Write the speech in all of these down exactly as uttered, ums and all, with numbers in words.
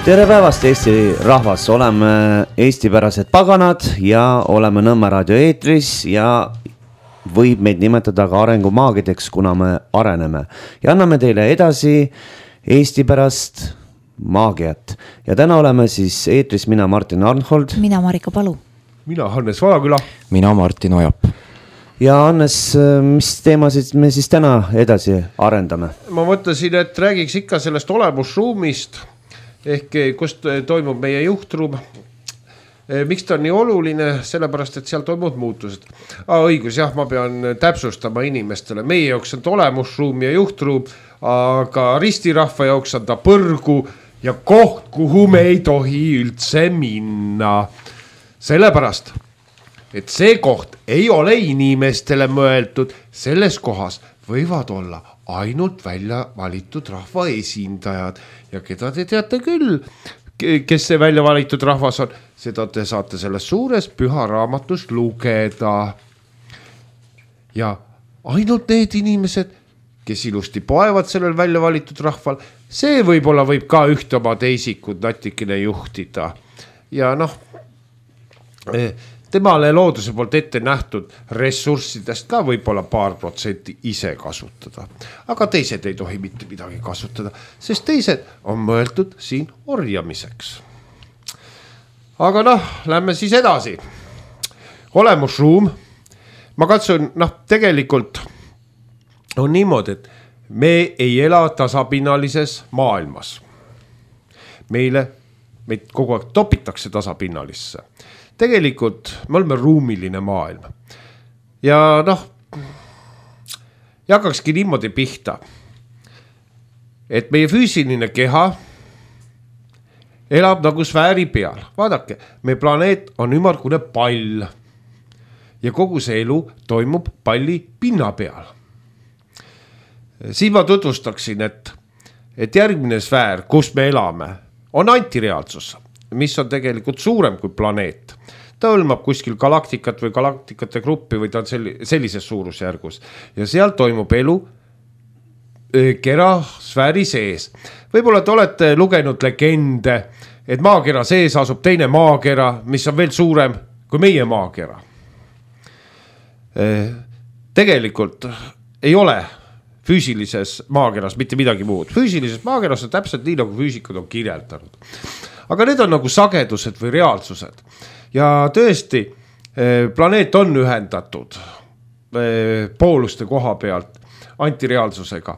Tere päevast, Eesti rahvas, oleme eestipärased paganad ja oleme Nõmme raadio eetris ja võib meid nimetada ka arengumaagideks, kuna me areneme. Ja anname teile edasi eestipärast maagiat. Ja täna oleme siis eetris mina Martin Arnhold. Mina Marika Palu. Mina Hannes Valaküla. Mina Martin Ojap. Ja Hannes, mis teemasid me siis täna edasi arendame? Ma mõtlesin, et räägiks ikka sellest olemusruumist, ehk kust toimub meie juhtruum. Miks ta on nii oluline? Sellepärast, et seal toimub muutused. Ah, õigus, jah, ma pean täpsustama inimestele. Meie jaoks on ta olemusruum ja juhtruum, aga ristirahva jaoks on ta põrgu ja koht, kuhu me ei tohi üldse minna. Sellepärast, et see koht ei ole inimestele mõeldud, selles kohas võivad olla ainult välja valitud rahva esindajad ja keda te teate küll, kes see välja valitud rahvas on, seda te saate selles suures püha raamatus lugeda. Ja ainult need inimesed, kes ilusti poevad sellel välja valitud rahval, see võib-olla võib ka ühte oma teisikud natikene juhtida. Ja noh, temale looduse poolt ette nähtud ressurssidest ka võib-olla paar protsenti ise kasutada. Aga teised ei tohi mitte midagi kasutada, sest teised on mõeldud siin orjamiseks. Aga noh, lähme siis edasi. Olemusruum. Ma katsun, noh, tegelikult on niimoodi, et me ei ela tasapinnalises maailmas. Meile, meid kogu aeg topitakse tasapinnalisse. Tegelikult me oleme ruumiline maailm. Ja noh, jakakski niimoodi pihta, et meie füüsiline keha elab nagu sfääri peal. Vaadake, meie planeet on ümmargune pall ja kogu see elu toimub palli pinna peal. Siin ma tutvustaksin, et, et järgmine sfäär, kus me elame, on antireaalsus, mis on tegelikult suurem kui planeet. Ta hõlmab kuskil galaktikat või galaktikate gruppi või ta on sellises suurusjärgus. Ja seal toimub elu kera sfääri sees. Võib-olla te olete lugenud legende, et maakera sees asub teine maakera, mis on veel suurem kui meie maakera. Tegelikult ei ole füüsilises maakeras mitte midagi muud. Füüsilises maakeras on täpselt nii, nagu füüsikud on kirjeldanud. Aga need on nagu sagedused või reaalsused. Ja tõesti, planeet on ühendatud pooluste koha pealt antireaalsusega.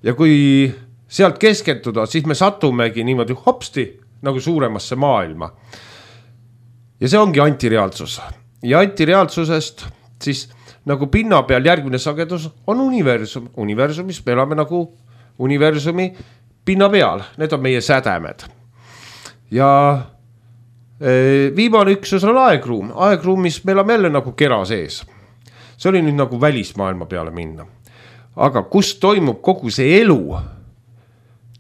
Ja kui sealt keskenduda, siis me satumegi niimoodi hopsti nagu suuremasse maailma. Ja see ongi antireaalsus. Ja antireaalsusest siis nagu pinna peal järgmine sagedus on universum. Universumis me elame nagu universumi pinna peal. Need on meie sädemed. Ja viimane üksus on aegruum. Aegruumis me elame jälle nagu kera sees. See oli nüüd nagu välismaailma peale minna. Aga kus toimub kogu see elu?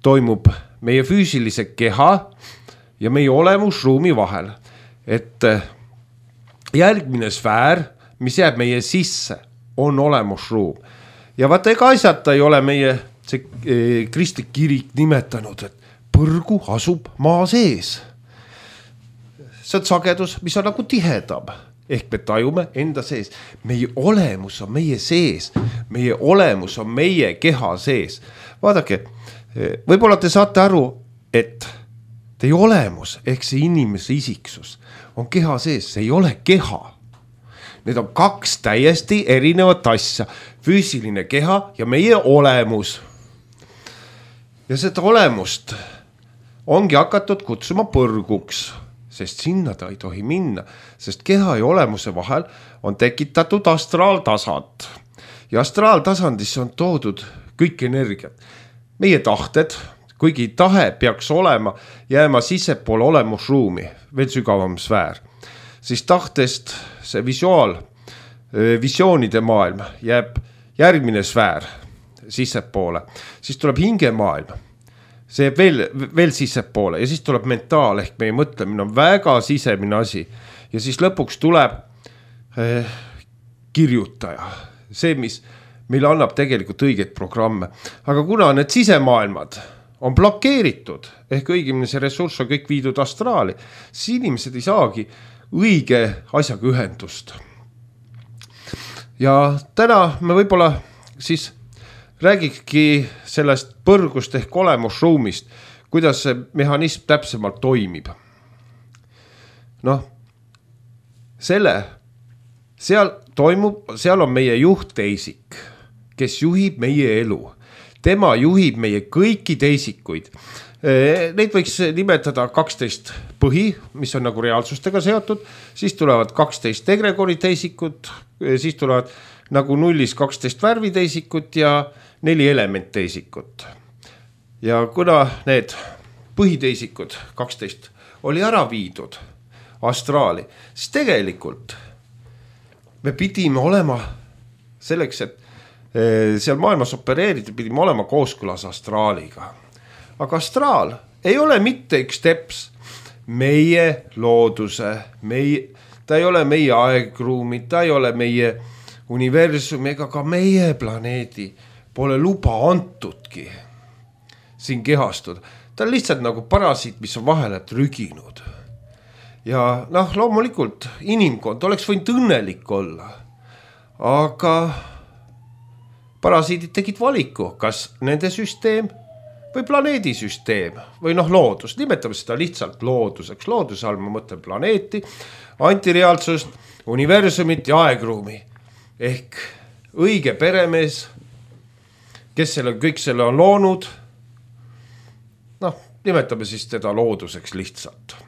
Toimub meie füüsilise keha ja meie olemusruumi vahel. Et järgmine sfäär, mis jääb meie sisse, on olemusruum. Ja vaata, ega asjata ei ole meie see kristlik kirik nimetanud, et põrgu asub maa sees. See on sagedus, mis on nagu tihedam. Ehk me tajume enda sees. Meie olemus on meie sees. Meie olemus on meie keha sees. Vaadake, võib-olla te saate aru, et teie olemus, ehk see inimese isiksus, on keha sees. See ei ole keha. Need on kaks täiesti erinevat asja. Füüsiline keha ja meie olemus. Ja seda olemust ongi hakatud kutsuma põrguks. Sest sinna ta ei tohi minna, sest keha ja olemuse vahel on tekitatud astraaltasand. Ja astraaltasandisse on toodud kõik energiat. Meie tahted, kuigi tahe peaks olema jääma sissepoole olemusruumi, veel sügavam sfäär, siis tahtest see visuaal, visioonide maailm jääb järgmine sfäär sissepoole, siis tuleb hingemaailm. See veel, veel sissepoole ja siis tuleb mentaal ehk meie mõtlemine on väga sisemine asi. Ja siis lõpuks tuleb eh, kirjutaja. See, mis meile annab tegelikult õigeid programme. Aga kuna need sisemaailmad on blokeeritud, ehk õigemini see ressurss on kõik viidud astraali, siis inimesed ei saagi õige asjaga ühendust. Ja täna me võib-olla siis räägikski sellest põrgust ehk olemusruumist, kuidas see mehhanism täpsemalt toimib. Noh, selle, seal toimub, seal on meie juhtteisik, kes juhib meie elu. Tema juhib meie kõiki teisikuid. Neid võiks nimetada kaksteist põhi, mis on nagu reaalsustega seotud, siis tulevad kaksteist egregori teisikut, siis tulevad nagu nullis kaksteist värviteisikut ja neli elementteisikut. Ja kuna need põhiteisikud kaksteist oli ära viidud astraali, siis tegelikult me pidime olema selleks, et seal maailmas opereerida, pidime olema kooskõlas astraaliga. Aga astraal ei ole mitte üks teps meie looduse, meie, ta ei ole meie aegruumi, ta ei ole meie universumi ega ka meie planeedi pole luba antudki siin kehastuda. Ta on lihtsalt nagu parasiit, mis on vahele trüginud. Ja noh, loomulikult inimkond oleks võinud õnnelik olla, aga parasiidid tegid valiku, kas nende süsteem või planeedisüsteem või noh loodus, nimetame seda lihtsalt looduseks. Looduse all ma mõtlen planeeti, antireaalsust, universumit ja aegruumi. Ehk õige peremees, kes selle, kõik selle on loonud, noh, nimetame siis teda looduseks lihtsalt.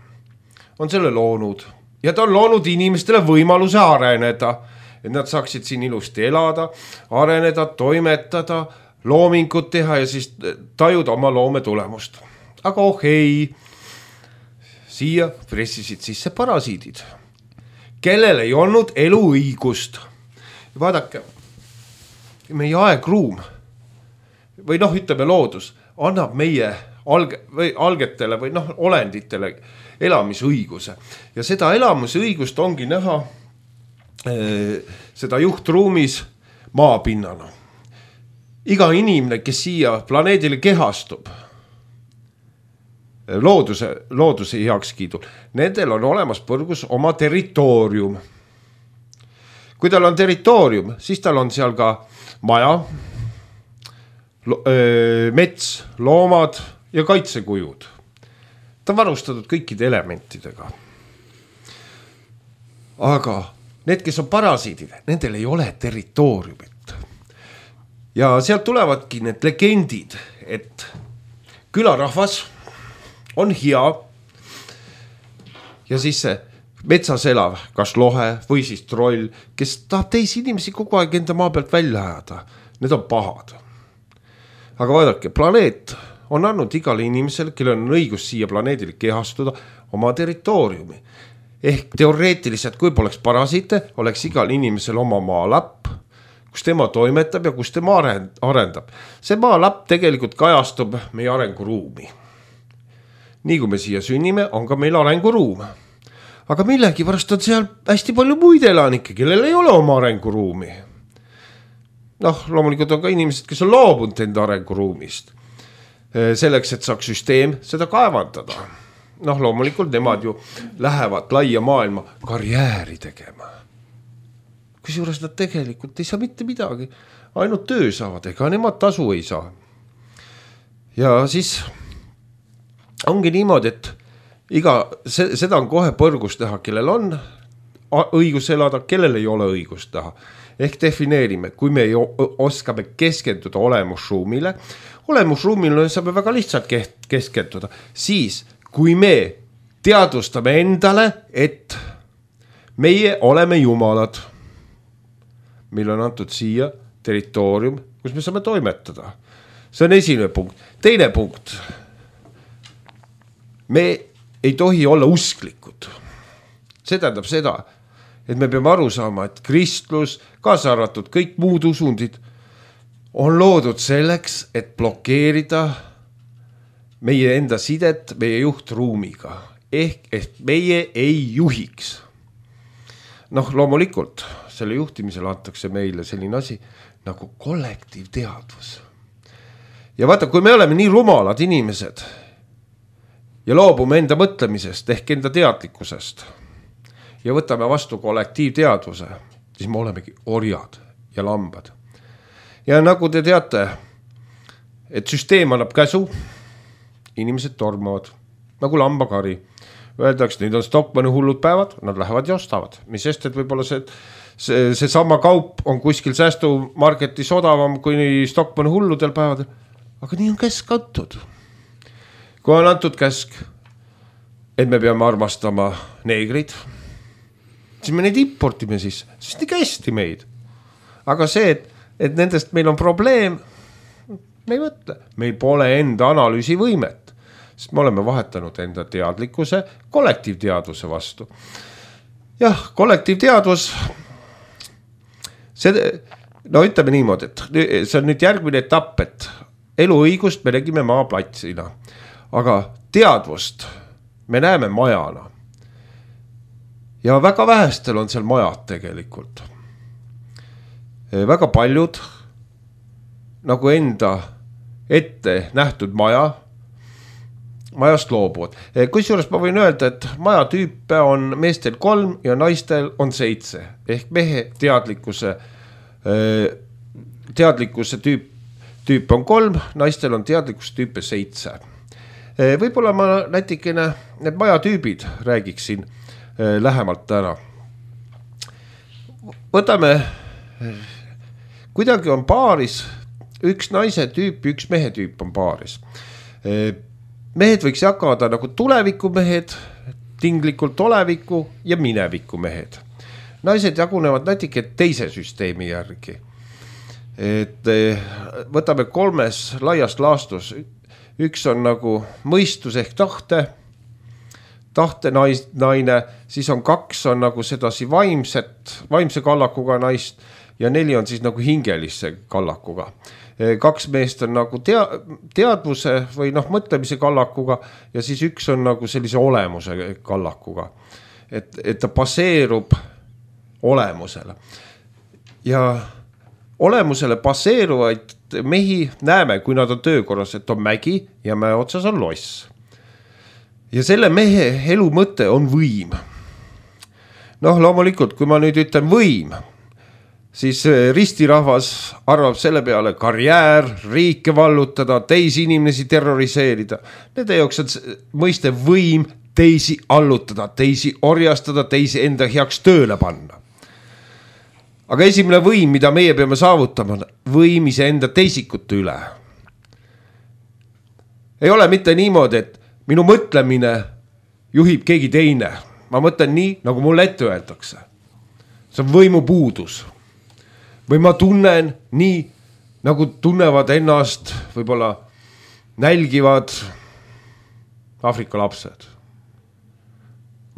On selle loonud ja ta on loonud inimestele võimaluse areneda, et nad saaksid siin ilusti elada, areneda, toimetada, loomingut teha ja siis tajuda oma loome tulemust. Aga oh ei, siia pressisid sisse parasiidid, kellel ei olnud eluõigust. Vaadake, meie aegruum või noh, ütleme loodus annab meie alge, või algetele või noh, olenditele elamisõiguse. Ja seda elamisõigust ongi näha äh, seda juhtruumis maapinnana. Iga inimene, kes siia planeedile kehastub, looduse, looduse heakskiidul, nendel on olemas põrgus oma territoorium. Kui tal on territoorium, siis tal on seal ka maja, lo, öö, mets, loomad ja kaitsekujud. Ta on varustatud kõikide elementidega. Aga need, kes on parasiidid, nendel ei ole territooriumit. Ja sealt tulevadki need legendid, et külarahvas on hea ja siis see metsas elav, kas lohe või siis troll, kes tahab teisi inimesi kogu aeg enda maa pealt välja ajada. Need on pahad. Aga vaadake, planeet on andnud igale inimesele, kellel on õigus siia planeedile kehastuda, oma territooriumi. Ehk teoreetiliselt, kui poleks parasiite, oleks igal inimesel oma maalapp, kus tema toimetab ja kus tema arendab. See maalapp tegelikult kajastub meie arenguruumi. Nii kui me siia sünnime, on ka meil arenguruum. Aga millegi pärast on seal hästi palju muid elanikke, kellel ei ole oma arenguruumi. Noh, loomulikult on ka inimesed, kes on loobunud enda arenguruumist. Selleks, et saaks süsteem seda kaevandada. Noh, loomulikult nemad ju lähevad laia maailma karjääri tegema. Kusjuures nad tegelikult ei saa mitte midagi, ainult töö saavad, ega nemad tasu ei saa. Ja siis ongi niimoodi, et iga, seda on kohe põrgus teha, kellel on õigus elada, kellel ei ole õigus teha. Ehk defineerime, kui me oskame keskenduda olemusruumile, olemusruumile saame väga lihtsalt keskenduda, siis kui me teadvustame endale, et meie oleme jumalad, meil on antud siia territoorium, kus me saame toimetada. See on esimene punkt. Teine punkt. Me ei tohi olla usklikud. See tähendab seda, et me peame aru saama, et kristlus, kaasa arvatud kõik muud usundid, on loodud selleks, et blokeerida meie enda sidet meie juhtruumiga. Ehk, et meie ei juhiks. Noh, loomulikult selle juhtimisel antakse meile selline asi nagu kollektiivteadvus. ja vaata, kui me oleme nii rumalad inimesed ja loobume enda mõtlemisest ehk enda teadlikkusest ja võtame vastu kollektiivteadvuse, siis me olemegi orjad ja lambad. Ja nagu te teate, et süsteem annab käsu, inimesed tormavad nagu lambakari. Öeldakse, nüüd on Stockmanni hullud päevad, nad lähevad ja ostavad. Mis sest, et võib-olla see, see, see sama kaup on kuskil säästumarketis odavam kui Stockmanni hulludel päevadel. Aga nii on käsk antud. Kui on antud käsk, et me peame armastama neegrid, siis me neid importime siis, sest nii kästi meid. Aga see, et, et nendest meil on probleem, me ei mõtle. Meil pole enda analüüsivõimet. Sest me oleme vahetanud enda teadlikkuse kollektiivteadvuse vastu. Jah, kollektiivteadvus, see, no ütleme niimoodi, et see on nüüd järgmine etapp, et eluõigust me nägime maaplatsina, aga teadvust me näeme majana. Ja väga vähestel on seal majad tegelikult. Väga paljud nagu enda ette nähtud maja, majast loobuvad. Kusjuures ma võin öelda, et maja tüüpe on meestel kolm ja naistel on seitse. Ehk mehe teadlikkuse, teadlikkuse tüüp, tüüp on kolm, naistel on teadlikkuse tüüpe seitse. Võib-olla ma nätikene need maja tüübid räägiksin lähemalt täna. Võtame, kuidagi on paaris, üks naise tüüp, üks mehe tüüp on paaris. Mehed võiks jagada nagu tulevikumehed, tinglikult oleviku ja mineviku mehed. Naised jagunevad natuke teise süsteemi järgi. Et võtame kolmes laiast laastus. Üks on nagu mõistus ehk tahte, tahte nais, naine, siis on kaks on nagu sedasi vaimset, vaimse kallakuga naist ja neli on siis nagu hingelisse kallakuga. Kaks meest on nagu tea, teadvuse või noh, mõtlemise kallakuga ja siis üks on nagu sellise olemuse kallakuga. Et, et ta baseerub olemusele. Ja olemusele baseeruvaid mehi näeme, kui nad on töökorras, et on mägi ja mäe otsas on loss. Ja selle mehe elu mõte on võim. Noh, loomulikult, kui ma nüüd ütlen võim, siis ristirahvas arvab selle peale karjäär, riike vallutada, teisi inimesi terroriseerida. Nende jaoks on mõiste võim teisi allutada, teisi orjastada, teisi enda heaks tööle panna. Aga esimene võim, mida meie peame saavutama, võim ise enda teisikute üle. Ei ole mitte niimoodi, et minu mõtlemine juhib keegi teine. Ma mõtlen nii, nagu mulle ette öeldakse. See on võimu puudus. Või ma tunnen nii, nagu tunnevad ennast, võib-olla nälgivad Afrika lapsed.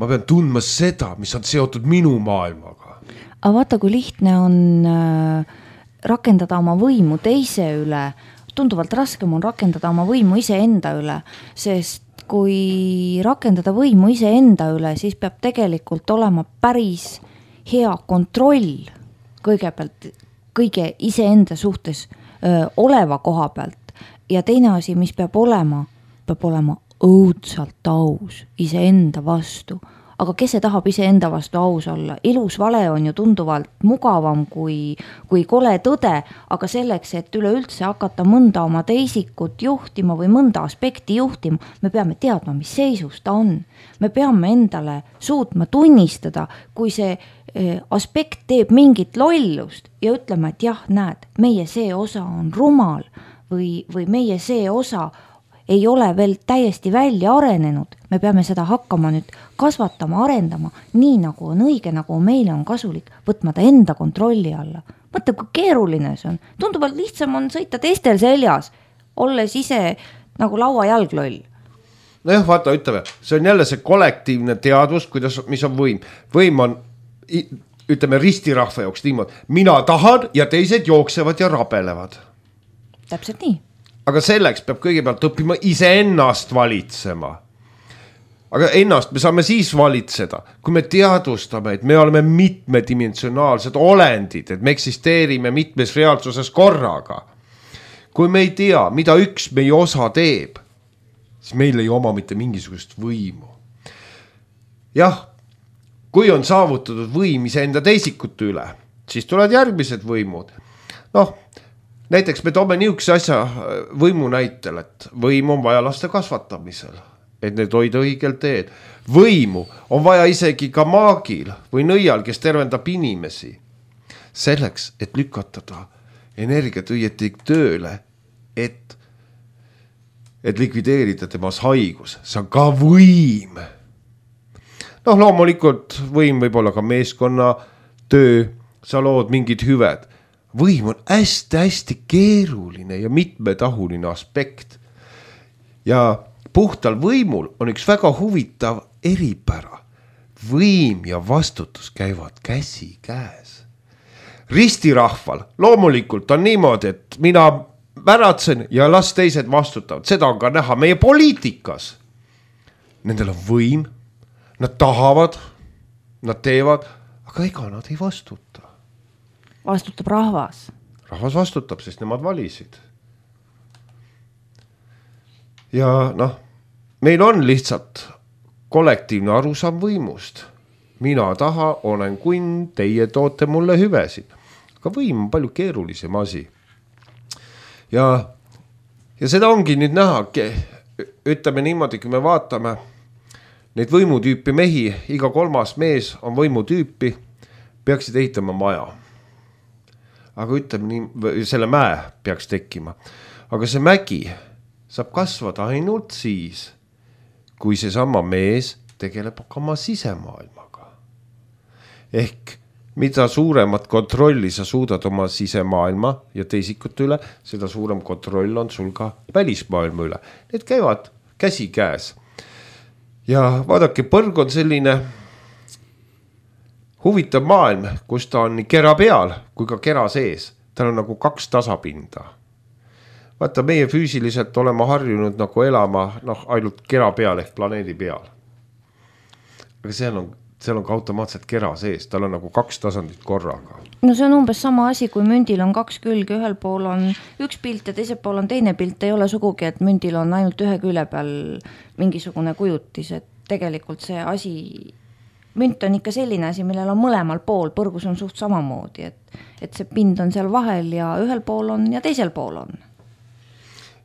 Ma pean tundma seda, mis on seotud minu maailmaga. Aga vaata, kui lihtne on rakendada oma võimu teise üle. Tunduvalt raskem on rakendada oma võimu ise enda üle, sest kui rakendada võimu ise enda üle, siis peab tegelikult olema päris hea kontroll kõigepealt kõige iseenda suhtes öö, oleva koha pealt ja teine asi, mis peab olema, peab olema õudsalt aus iseenda vastu. Aga kes see tahab iseenda vastu aus olla? Ilus vale on ju tunduvalt mugavam kui, kui kole tõde, aga selleks, et üleüldse hakata mõnda oma teisikut juhtima või mõnda aspekti juhtima, me peame teadma, mis seisus ta on. Me peame endale suutma tunnistada, kui see aspekt teeb mingit lollust ja ütleme, et jah, näed, meie see osa on rumal või, või meie see osa ei ole veel täiesti välja arenenud. Me peame seda hakkama nüüd kasvatama, arendama, nii nagu on õige, nagu meile on kasulik, võtma ta enda kontrolli alla. Mõtle, kui keeruline see on. Tunduvalt lihtsam on sõita teistel seljas, olles ise nagu laua jalgloll. No jah, vaata, ütleme, see on jälle see kollektiivne teadvus, kuidas, mis on võim. Võim on, ütleme, ristirahva jooks niimoodi. Mina tahan ja teised jooksevad ja rabelevad. Täpselt nii. Aga selleks peab kõigepealt õppima ise ennast valitsema. Aga ennast me saame siis valitseda, kui me teadvustame, et me oleme mitmedimensionaalsed olendid, et me eksisteerime mitmes reaalsuses korraga. kui me ei tea, mida üks meie osa teeb, siis meil ei oma mitte mingisugust võimu. Jah, kui on saavutatud võim iseenda teisikute üle, siis tulevad järgmised võimud. Noh, näiteks me toome niisuguse asja võimu näitel, et võim on vaja laste kasvatamisel, et need hoida õigel teed. Võimu on vaja isegi ka maagil või nõial, kes tervendab inimesi. Selleks, et lükatada energiat õieti tööle, et, et likvideerida temas haigus. See on ka võim. Noh, loomulikult võim võib olla ka meeskonna töö, sa lood mingid hüved. Võim on hästi-hästi keeruline ja mitmetahuline aspekt. Ja puhtal võimul on üks väga huvitav eripära. Võim ja vastutus käivad käsi käes. Ristirahval loomulikult on niimoodi, et mina väratsen ja las teised vastutavad. Seda on ka näha meie poliitikas. Nendel on võim, nad tahavad, nad teevad, aga ega nad ei vastuta. Vastutab rahvas. Rahvas vastutab, sest nemad valisid. Ja noh, meil on lihtsalt kollektiivne arusaam võimust. Mina taha, olen kunn, teie toote mulle hüvesid. Aga võim on palju keerulisem asi. Ja, ja seda ongi nüüd näha, ütleme niimoodi, kui me vaatame neid võimutüüpi mehi, iga kolmas mees on võimutüüpi, peaksid ehitama maja. Aga ütleme nii, selle mäe peaks tekkima. Aga see mägi saab kasvada ainult siis, kui see sama mees tegeleb oma sisemaailmaga. Ehk mida suuremat kontrolli sa suudad oma sisemaailma ja teisikute üle, seda suurem kontroll on sul ka välismaailma üle. Need käivad käsi käes. Ja vaadake, põrg on selline huvitav maailm, kus ta on nii kera peal kui ka kera sees. Tal on nagu kaks tasapinda. Vaata, meie füüsiliselt oleme harjunud nagu elama noh, ainult kera peal ehk planeedi peal. Aga seal on, seal on ka automaatselt kera sees, tal on nagu kaks tasandit korraga. No see on umbes sama asi, kui mündil on kaks külge, ühel pool on üks pilt ja teisel pool on teine pilt. Ei ole sugugi, et mündil on ainult ühe külje peal mingisugune kujutis, et tegelikult see asi, münt on ikka selline asi, millel on mõlemal pool, põrgus on suht samamoodi, et, et see pind on seal vahel ja ühel pool on ja teisel pool on.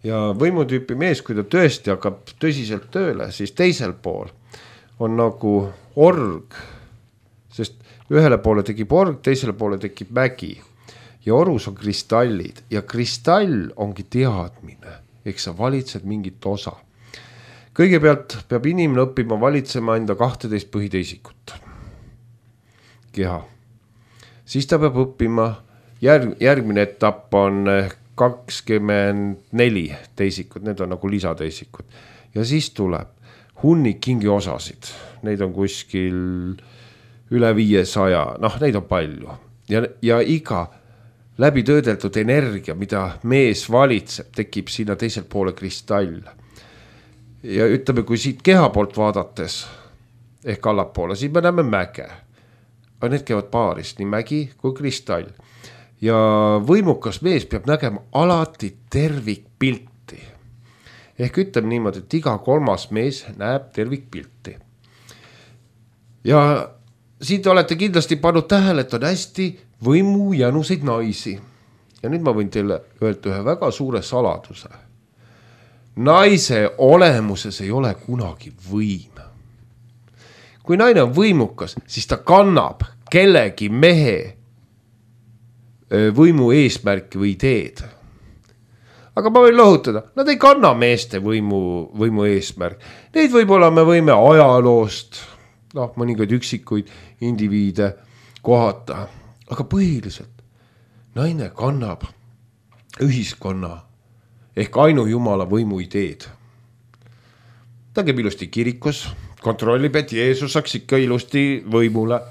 Ja võimutüüpi mees, kui ta tõesti hakkab tõsiselt tööle, siis teisel pool on nagu org, sest ühele poole tekib org, teisele poole tekib mägi ja orus on kristallid ja kristall ongi teadmine, eks sa valitsed mingit osa. Kõigepealt peab inimene õppima valitsema enda kahteteist põhiteisikut. Keha. Siis ta peab õppima, järg, järgmine etapp on kakskümmend neli teisikut, need on nagu lisateisikud. Ja siis tuleb hunnik kingi osasid, neid on kuskil üle viiesaja, noh neid on palju. Ja, ja iga läbi töödeldud energia, mida mees valitseb, tekib sinna teisel poole kristall. Ja ütleme, kui siit keha poolt vaadates, ehk allapoole, siis me näeme mäge. Aga need käivad paarist, nii mägi kui kristall. Ja võimukas mees peab nägema alati tervikpilti. Ehk ütleme niimoodi, et iga kolmas mees näeb tervikpilti. Ja siit olete kindlasti pannud tähele, et on hästi võimu jänuseid naisi. Ja nüüd ma võin teile öelda ühe väga suure saladuse. Naise olemuses ei ole kunagi võim. Kui naine on võimukas, siis ta kannab kellegi mehe võimu eesmärki või ideed. Aga ma võin lohutada, nad ei kanna meeste võimu, võimu eesmärk. Neid võib-olla me võime ajaloost, noh, mõningaid üksikuid indiviide kohata. Aga põhiliselt naine kannab ühiskonna ehk ainu jumala võimu ideed. Ta käib ilusti kirikus, kontrollib, et Jeesus saaks ikka ilusti võimule.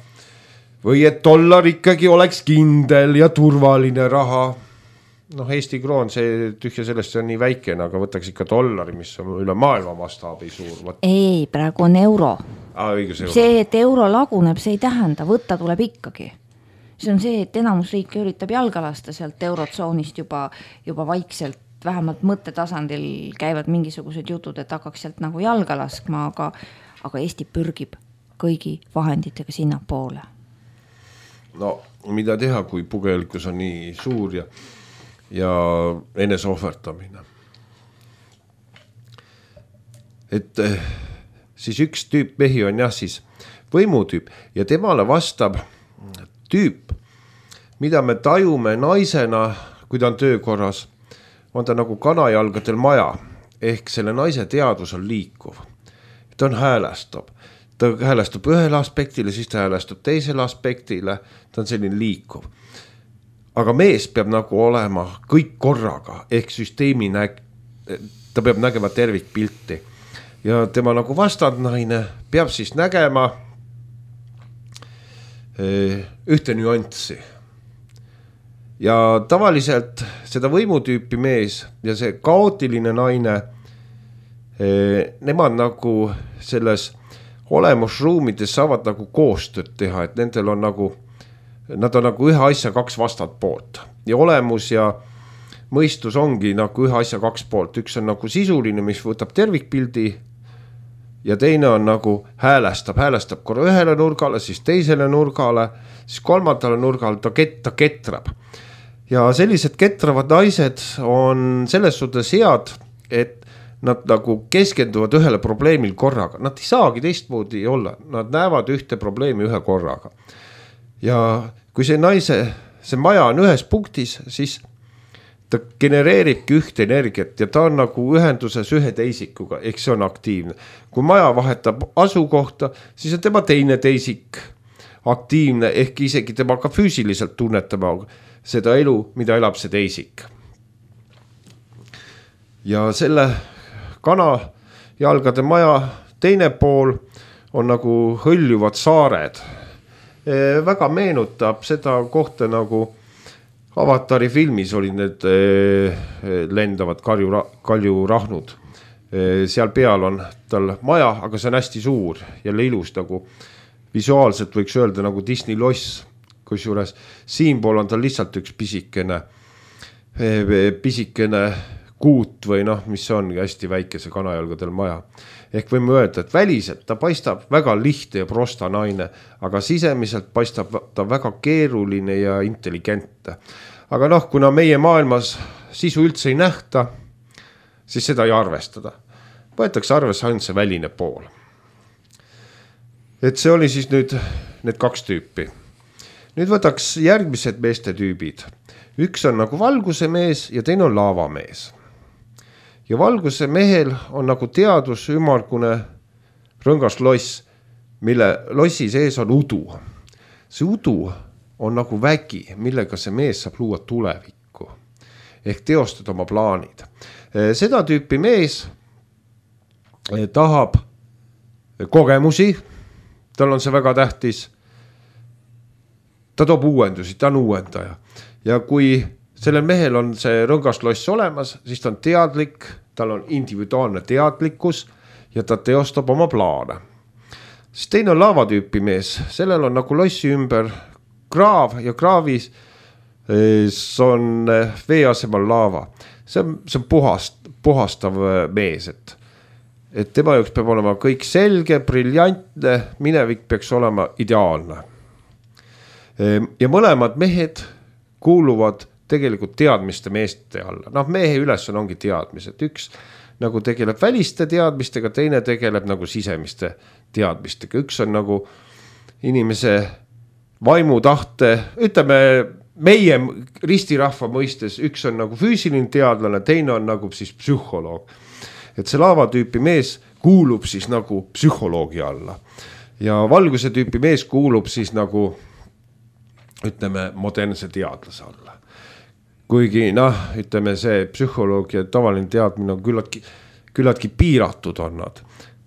Või et dollar ikkagi oleks kindel ja turvaline raha. Noh, Eesti kroon, see tühja sellest on nii väikene, aga võtaks ikka dollari, mis on üle maailma mastaabi suur. Ei, praegu on euro. Ah, õigus, euro. See, et euro laguneb, see ei tähenda, võtta tuleb ikkagi. See on see, et enamus riike üritab jalga lasta sealt eurotsoonist juba, juba vaikselt vähemalt mõttetasandil käivad mingisugused jutud, et hakkaks sealt nagu jalga laskma, aga, aga Eesti pürgib kõigi vahenditega sinna poole. No mida teha, kui pugelikkus on nii suur ja, ja eneseohvertamine. Et siis üks tüüp mehi on jah siis võimutüüp ja temale vastab tüüp, mida me tajume naisena, kui ta on töökorras, on ta nagu kanajalgadel maja, ehk selle naise teadvus on liikuv. Ta on häälestab. Ta häälestub ühele aspektile, siis ta häälestub teisele aspektile, ta on selline liikuv. Aga mees peab nagu olema kõik korraga, ehk süsteemi näg-, ta peab nägema tervikpilti. Ja tema nagu vastandnaine peab siis nägema ühte nüanssi. Ja tavaliselt seda võimutüüpi mees ja see kaootiline naine, nemad nagu selles olemusruumides saavad nagu koostööd teha, et nendel on nagu, nad on nagu ühe asja kaks vastat poolt. Ja olemus ja mõistus ongi nagu ühe asja kaks poolt. Üks on nagu sisuline, mis võtab tervikpildi ja teine on nagu häälestab, häälestab korra ühele nurgale, siis teisele nurgale, siis kolmandale nurgale, ta, ket, ta ketrab. Ja sellised ketravad naised on selles suhtes head, et nad nagu keskenduvad ühele probleemil korraga. Nad ei saagi teistmoodi olla, nad näevad ühte probleemi ühe korraga. Ja kui see naise, see maja on ühes punktis, siis ta genereeribki ühte energiat ja ta on nagu ühenduses ühe teisikuga, ehk see on aktiivne. Kui maja vahetab asukohta, siis on tema teine teisik aktiivne, ehk isegi tema ka füüsiliselt tunnetama seda elu, mida elab see teisik. Ja selle kana jalgade maja teine pool on nagu hõljuvad saared. Väga meenutab seda kohta nagu Avatari filmis olid need lendavad kalju, kaljurahnud. Seal peal on tal maja, aga see on hästi suur ja ilus nagu visuaalselt võiks öelda nagu Disney loss. Kusjuures siinpool on tal lihtsalt üks pisikene, pisikene kuut või noh, mis ongi hästi väikese kanajalgadel maja. Ehk võime öelda, et väliselt ta paistab väga lihtne ja prosta naine, aga sisemiselt paistab ta väga keeruline ja intelligentne. Aga noh, kuna meie maailmas sisu üldse ei nähta, siis seda ei arvestada. Võetakse arvesse ainult see väline pool. Et see oli siis nüüd need kaks tüüpi. Nüüd võtaks järgmised meeste tüübid. Üks on nagu valguse mees ja teine on laavamees. Ja valguse mehel on nagu teadus ümargune rõngas loss, mille lossi sees on udu. See udu on nagu vägi, millega see mees saab luua tulevikku. Ehk teostada oma plaanid. Seda tüüpi mees tahab kogemusi, tal on see väga tähtis. Ta toob uuendusi, ta on uuendaja. Ja kui sellel mehel on see rõngasloss olemas, siis ta on teadlik, tal on individuaalne teadlikkus ja ta teostab oma plaane. Siis teine on laavatüüpi mees, sellel on nagu lossi ümber kraav ja kraavis on vee asemel laava. See on, see on puhast, puhastav mees, et, et tema jaoks peab olema kõik selge, briljantne, minevik peaks olema ideaalne. Ja mõlemad mehed kuuluvad tegelikult teadmiste meeste alla. Noh, mehe ülesanne ongi teadmised. Üks nagu tegeleb väliste teadmistega, teine tegeleb nagu sisemiste teadmistega. Üks on nagu inimese vaimu tahte, ütleme meie ristirahva mõistes, üks on nagu füüsiline teadlane, teine on nagu siis psühholoog. Et see laavatüüpi mees kuulub siis nagu psühholoogi alla. Ja valguse tüüpi mees kuulub siis nagu ütleme modernse teadlase alla. Kuigi noh, ütleme see psühholoogia tavaline teadmine on küllaltki, küllaltki piiratud on nad.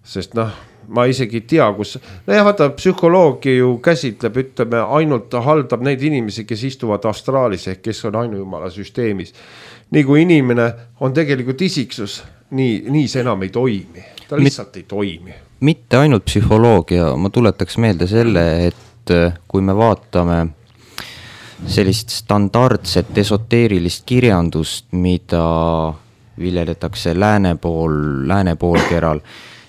Sest noh, ma isegi ei tea, kus... No jah, vaata, psühholoogia ju käsitleb, ütleme, ainult ta haldab neid inimesi, kes istuvad astraalis ehk kes on ainujumala süsteemis. Nii kui inimene on tegelikult isiksus, nii, nii see enam ei toimi. Ta lihtsalt ei toimi. Mitte ainult psühholoogia, ma tuletaks meelde selle, et kui me vaatame sellist standardset esoteerilist kirjandust, mida viljeletakse lääne pool, lääne poolkeral,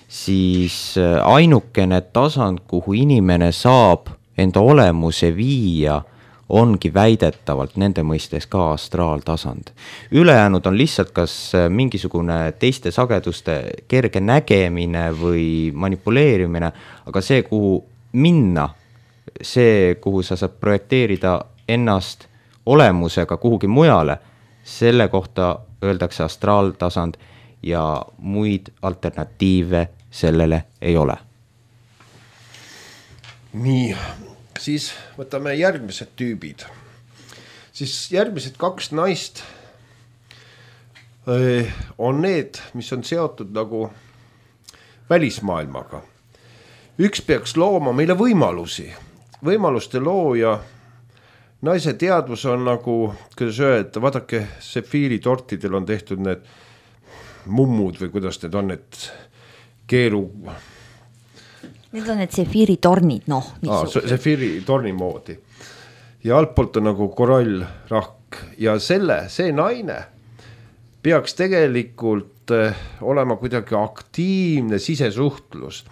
siis ainukene tasand, kuhu inimene saab enda olemuse viia, ongi väidetavalt nende mõistes ka astraaltasand. Ülejäänud on lihtsalt kas mingisugune teiste sageduste kerge nägemine või manipuleerimine, aga see, kuhu minna, see, kuhu sa saad projekteerida ennast olemusega kuhugi mujale, selle kohta öeldakse astraaltasand ja muid alternatiive sellele ei ole. Nii, siis võtame järgmised tüübid. Siis järgmised kaks naist on need, mis on seotud nagu välismaailmaga. Üks peaks looma meile võimalusi. Võimaluste looja naise teadvus on nagu, kuidas öelda, vaadake, sefiiritortidel on tehtud need mummud või kuidas need on, need keeru... Need on need sefiiritornid, noh. Ah, sefiiritorni moodi. Ja altpoolt on nagu korallrahk. Ja selle, see naine peaks tegelikult olema kuidagi aktiivne sisesuhtlus.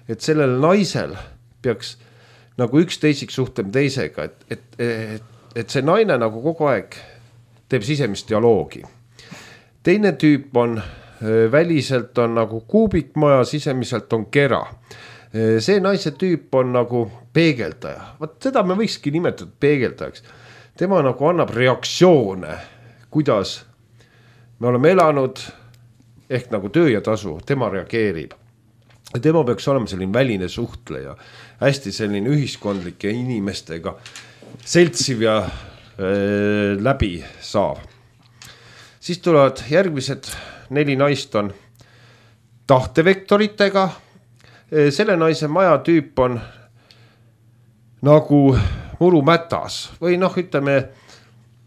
Et sellel naisel peaks nagu üks teisik suhtlema teisega, et, et, et, et see naine nagu kogu aeg teeb sisemist dialoogi. Teine tüüp on, väliselt on nagu kuubikmaja, sisemiselt on kera. See naise tüüp on nagu peegeldaja. Vaat seda me võikski nimetada peegeldajaks. Tema nagu annab reaktsioone, kuidas me oleme elanud, ehk nagu töö ja tasu, tema reageerib. Tema peaks olema selline väline suhtleja, hästi selline ühiskondlike inimestega seltsiv ja äh, läbi saav. Siis tulevad järgmised neli naist on tahtevektoritega. Selle naise maja tüüp on nagu murumätas või noh, ütleme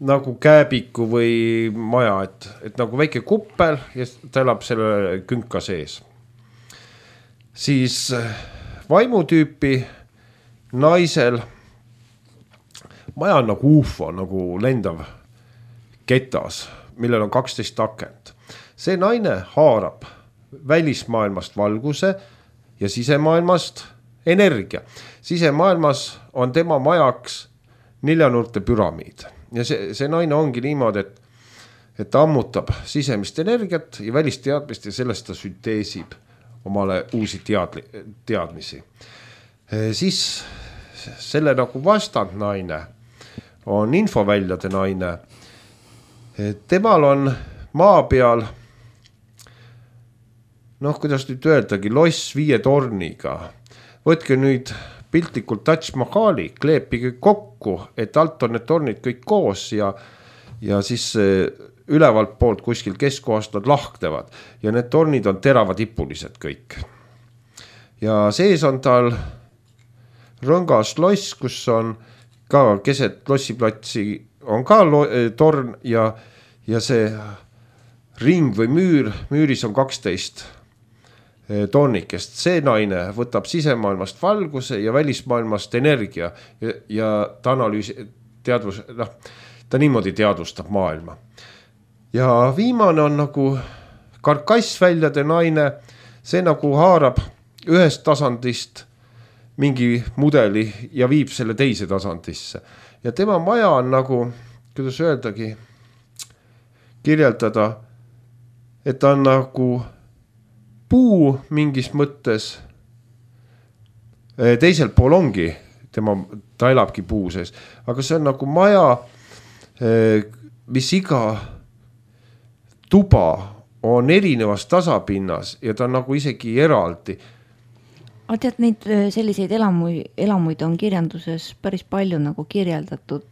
nagu kääbiku või maja, et, et nagu väike kuppel ja ta elab selle künka sees. Siis vaimutüüpi naisel maja on nagu ufo, nagu lendav ketas, millel on kaksteist akent. See naine haarab välismaailmast valguse ja sisemaailmast energia. Sisemaailmas on tema majaks neljanurte püramiid. Ja see, see naine ongi niimoodi, et, et ta ammutab sisemist energiat ja välisteadmist ja sellest ta sünteesib omale uusi teadli, teadmisi. Siis selle nagu vastand naine on infoväljade naine. Temal on maa peal, noh, kuidas nüüd öeldagi, loss viie torniga. Võtke nüüd piltlikult Taj Mahali, kleepige kokku, et alt on need tornid kõik koos ja, ja siis ülevalt poolt kuskil keskkohast nad lahtevad ja need tornid on teravatipulised kõik. Ja sees on tal rõngas loss, kus on ka keset lossiplatsi on ka lo- torn ja, ja see ring või müür, müüris on kaksteist tornikest. See naine võtab sisemaailmast valguse ja välismaailmast energia ja, ja ta analüüsi, teadvus, noh, ta niimoodi teadvustab maailma. Ja viimane on nagu karkassväljade naine, see nagu haarab ühest tasandist mingi mudeli ja viib selle teise tasandisse. Ja tema maja on nagu, kuidas öeldagi, kirjeldada, et ta on nagu puu mingis mõttes. Teisel pool ongi, tema, ta elabki puu sees, aga see on nagu maja, mis iga tuba on erinevas tasapinnas ja ta on nagu isegi eraldi. Ma tead, neid selliseid elamuid, elamuid on kirjanduses päris palju nagu kirjeldatud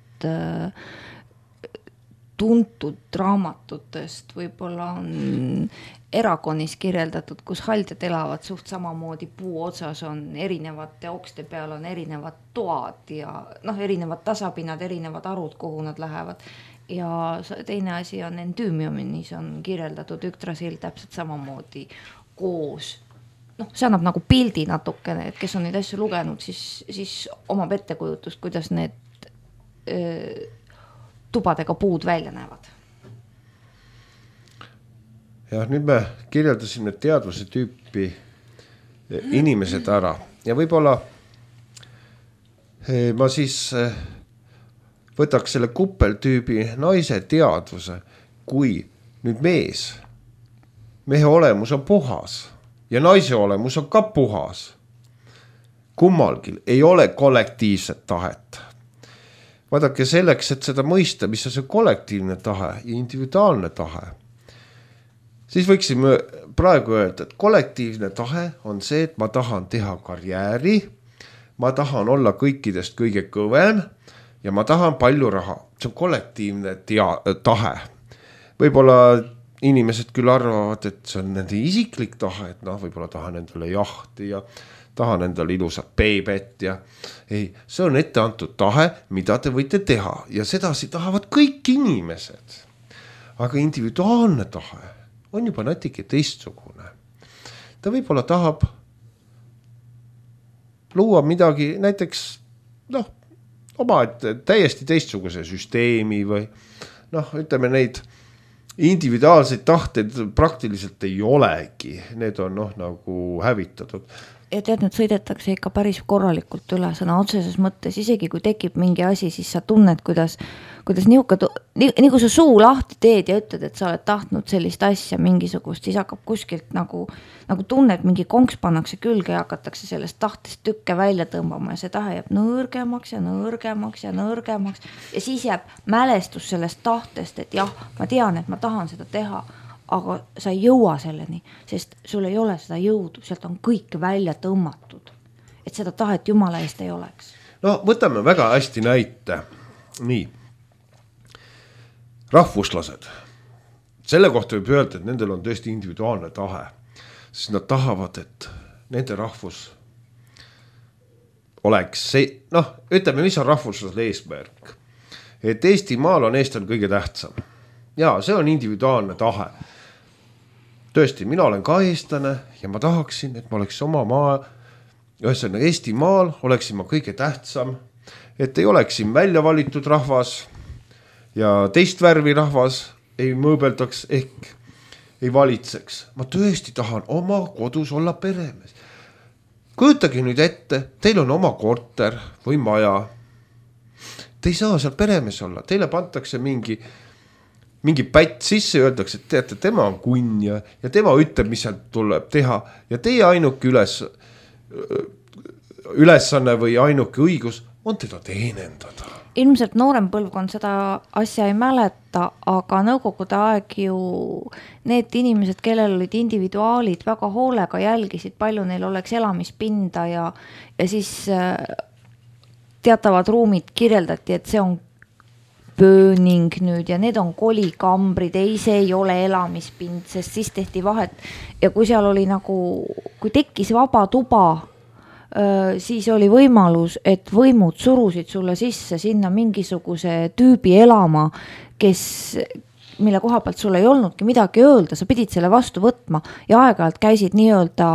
tuntud raamatutest, võib-olla on erakonis kirjeldatud, kus haldjad elavad suht samamoodi, puu otsas on erinevate okste peal on erinevad toad ja noh, erinevad tasapinnad, erinevad arud, kuhu nad lähevad. Ja teine asi on endüümiumis on kirjeldatud Yggdrasil täpselt samamoodi koos. Noh, see annab nagu pildi natukene, et kes on neid asju lugenud, siis, siis omab ettekujutust, kuidas need öö, tubadega puud välja näevad. jah, nüüd me kirjeldasime teadvuse tüüpi inimesed ära ja võib-olla ma siis võtaks selle kuppeltüübi naise teadvuse, kui nüüd mees, mehe olemus on puhas ja naise olemus on ka puhas. Kummalgi ei ole kollektiivset tahet. Vaadake selleks, et seda mõista, mis on see kollektiivne tahe ja individuaalne tahe, siis võiksime praegu öelda, et kollektiivne tahe on see, et ma tahan teha karjääri, ma tahan olla kõikidest kõige kõvem ja ma tahan palju raha. See on kollektiivne tea- tahe. Võib-olla inimesed küll arvavad, et see on nende isiklik tahe, et noh, võib-olla tahan endale jahti ja tahan endale ilusat beebet ja ei, see on ette antud tahe, mida te võite teha ja sedasi tahavad kõik inimesed. Aga individuaalne tahe on juba natuke teistsugune. Ta võib-olla tahab luua midagi näiteks noh, oma täiesti teistsuguse süsteemi või noh, ütleme neid individuaalseid tahteid praktiliselt ei olegi. Need on noh, nagu hävitatud. Ja tead, nüüd sõidetakse ikka päris korralikult üle sõna otseses mõttes, isegi kui tekib mingi asi, siis sa tunned, kuidas, kuidas niuka, nii, nii kui sa suu lahti teed ja ütled, et sa oled tahtnud sellist asja mingisugust, siis hakkab kuskilt nagu, nagu tunned, mingi konks pannakse külge ja hakatakse sellest tahtest tükke välja tõmbama ja see tahe jääb nõrgemaks ja nõrgemaks ja nõrgemaks ja siis jääb mälestus sellest tahtest, et jah, ma tean, et ma tahan seda teha, aga sa ei jõua selleni, sest sul ei ole seda jõudu, sealt on kõik välja tõmmatud, et seda tahet Jumala eest ei oleks. No võtame väga hästi näite. Nii. Rahvuslased. Selle kohta võib öelda, et nendel on tõesti individuaalne tahe, sest nad tahavad, et nende rahvus oleks see, noh, ütleme, mis on rahvuslasel eesmärk. Et Eestimaal on eestlane kõige tähtsam. Ja see on individuaalne tahe. Tõesti, mina olen ka eestlane ja ma tahaksin, et ma oleks oma maa, ühesõnaga Eestimaal oleksin ma kõige tähtsam, et ei oleksin välja valitud rahvas ja teist värvi rahvas ei mõõbeldaks ehk ei valitseks. Ma tõesti tahan oma kodus olla peremees. Kujutage nüüd ette, teil on oma korter või maja. Te ei saa seal peremees olla, teile pantakse mingi mingi pätt sisse ja öeldakse, et teate, tema on kunn ja, ja tema ütleb, mis sealt tuleb teha ja teie ainuke üles, ülesanne või ainuke õigus on teda teenendada. Ilmselt noorem põlvkond seda asja ei mäleta, aga nõukogude aeg ju need inimesed, kellel olid individuaalid, väga hoolega jälgisid, palju neil oleks elamispinda ja, ja siis teatavad ruumid kirjeldati, et see on pööning nüüd ja need on kolikambrid, ei, see ei ole elamispind, sest siis tehti vahet ja kui seal oli nagu, kui tekkis vaba tuba, siis oli võimalus, et võimud surusid sulle sisse sinna mingisuguse tüübi elama, kes, mille koha pealt sul ei olnudki midagi öelda, sa pidid selle vastu võtma ja aeg-ajalt käisid nii-öelda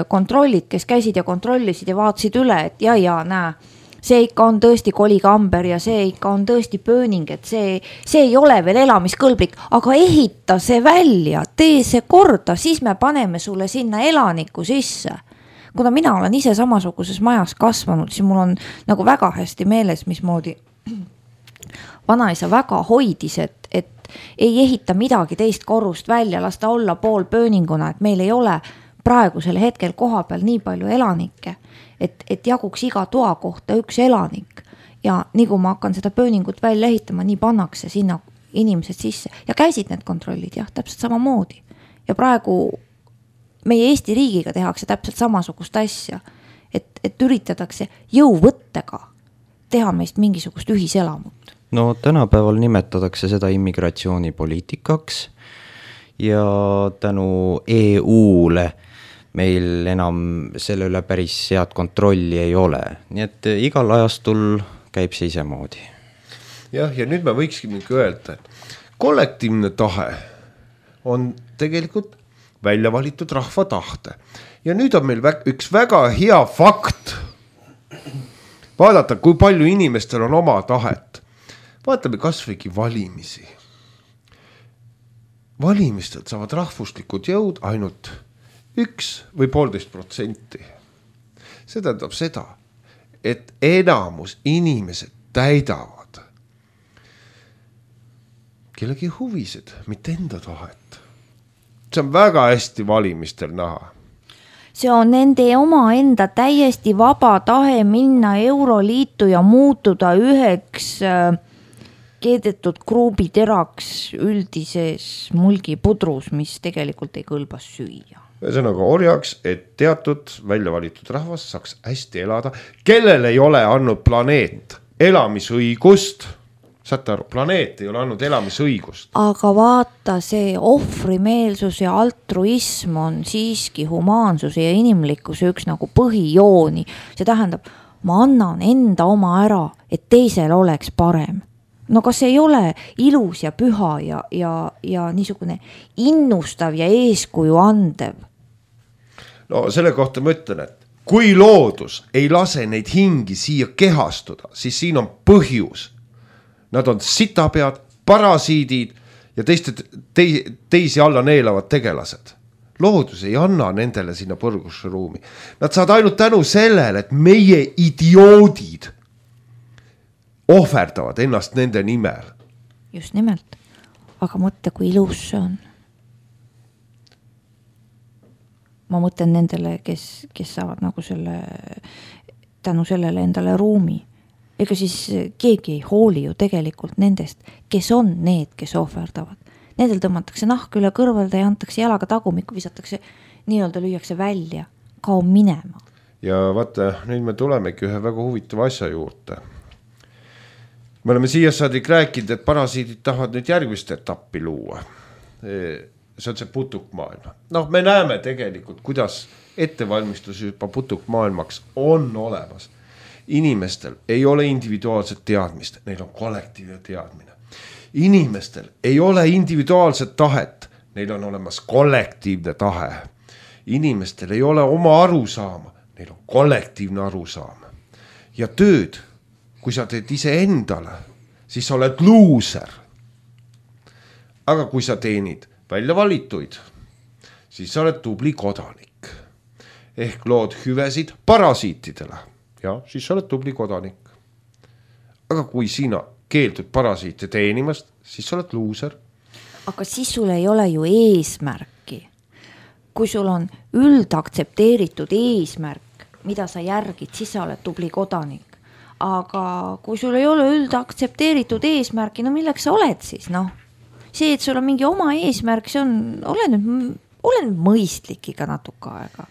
kontrollid, kes käisid ja kontrollisid ja vaatasid üle, et ja, ja näe, see ikka on tõesti kolikamber ja see ikka on tõesti pööning, et see, see ei ole veel elamiskõlblik, aga ehita see välja, tee see korda, siis me paneme sulle sinna elaniku sisse. Kuna mina olen ise samasuguses majas kasvanud, siis mul on nagu väga hästi meeles, mismoodi vanaisa väga hoidis, et, et ei ehita midagi teist korrust välja, lasta olla pool pööninguna, et meil ei ole praegusel hetkel koha peal nii palju elanikke, et, et jaguks iga toa kohta üks elanik ja nii kui ma hakkan seda pööningut välja ehitama, nii pannakse sinna inimesed sisse ja käisid need kontrollid, jah, täpselt samamoodi ja praegu meie Eesti riigiga tehakse täpselt samasugust asja, et, et üritatakse jõuvõttega teha meist mingisugust ühiselamut. No tänapäeval nimetatakse seda immigratsioonipoliitikaks ja tänu E U-le meil enam selle üle päris head kontrolli ei ole. Nii et igal ajastul käib see ise moodi. Jah, ja nüüd me võikski öelda, et kollektiivne tahe on tegelikult välja valitud rahva tahte. Ja nüüd on meil üks väga hea fakt. Vaadata, kui palju inimestel on oma tahet. Vaatame kas võigi valimisi. valimistelt saavad rahvuslikud jõud ainult üks või poolteist protsenti. See tähendab seda, et enamus inimesed täidavad kellegi huvisid, mitte enda tahet. See on väga hästi valimistel näha. See on nende oma enda täiesti vaba tahe minna Euroliitu ja muutuda üheks äh, keedetud kruubiteraks üldises mulgipudrus, mis tegelikult ei kõlbas süüa. Ühesõnaga orjaks, et teatud välja valitud rahvas saaks hästi elada, kellel ei ole andnud planeet elamisõigust. Saate aru, planeet ei ole andnud elamisõigust. Aga vaata, see ohvrimeelsus ja altruism on siiski humaansuse ja inimlikkuse üks nagu põhijooni. See tähendab, ma annan enda oma ära, et teisel oleks parem. No kas ei ole ilus ja püha ja, ja, ja niisugune innustav ja eeskuju andev? No selle kohta ma ütlen, et kui loodus ei lase neid hingi siia kehastuda, siis siin on põhjus. Nad on sitapead, parasiidid ja teiste, te, teisi alla neelavad tegelased. Loodus ei anna nendele sinna põrgusse ruumi. Nad saad ainult tänu sellele, et meie idioodid ohverdavad ennast nende nimel. Just nimelt. Aga mõtle, kui ilus see on. Ma mõtlen nendele, kes, kes saavad nagu selle, tänu sellele endale ruumi. Ega siis keegi ei hooli ju tegelikult nendest, kes on need, kes ohverdavad. Nendel tõmmatakse nahk üle kõrvalda ja antakse jalaga tagumikku, visatakse, nii-öelda lüüakse välja, kao minema. Ja vaata, nüüd me tulemegi ühe väga huvitava asja juurde. Me oleme siia saadik rääkinud, et parasiidid tahavad nüüd järgmist etappi luua. See on see putukmaailma. Noh, me näeme tegelikult, kuidas ettevalmistus juba putukmaailmaks on olemas. Inimestel ei ole individuaalset teadmist, neil on kollektiivne teadmine. Inimestel ei ole individuaalset tahet, neil on olemas kollektiivne tahe. Inimestel ei ole oma arusaama, neil on kollektiivne arusaama. Ja tööd, kui sa teed ise endale, siis sa oled luuser. Aga kui sa teenid välja valituid, siis sa oled tubli kodanik. Ehk lood hüvesid parasiitidele. Ja siis sa oled tubli kodanik. Aga kui sina keeldud parasiite teenimast, siis sa oled luuser. Aga siis sul ei ole ju eesmärki. Kui sul on üldaktsepteeritud eesmärk, mida sa järgid, siis sa oled tubli kodanik. Aga kui sul ei ole üldaktsepteeritud eesmärki, no milleks sa oled siis? No, see, et sul on mingi oma eesmärk, see on, ole nüüd, ole nüüd mõistlik iga natuke aega.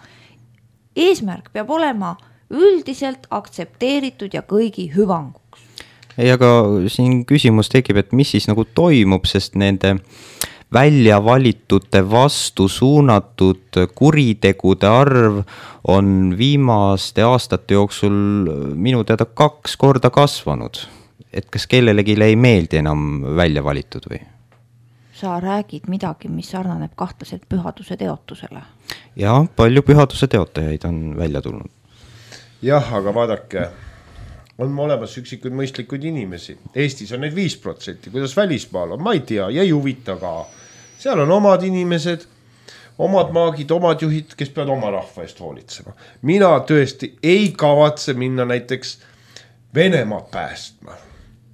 Eesmärk peab olema üldiselt aktsepteeritud ja kõigi hüvanguks. Ei, aga siin küsimus tekib, et mis siis nagu toimub, sest nende välja valitute vastu suunatud kuritegude arv on viimaste aastate jooksul minu teada kaks korda kasvanud. Et kas kellelegi ei meeldi enam välja valitud või? Sa räägid midagi, mis sarnaneb kahtlaselt pühaduse teotusele. Ja, palju pühaduse teotajaid on välja tulnud. Jah, aga vaadake, on olemas üksikuid mõistlikud inimesi. Eestis on neid viis protsenti, kuidas välismaal on, ma ei tea, ja ei huvita ka. Seal on omad inimesed, omad maagid, omad juhid, kes peavad oma rahva eest hoolitsema. Mina tõesti ei kavatse minna näiteks Venemaa päästma.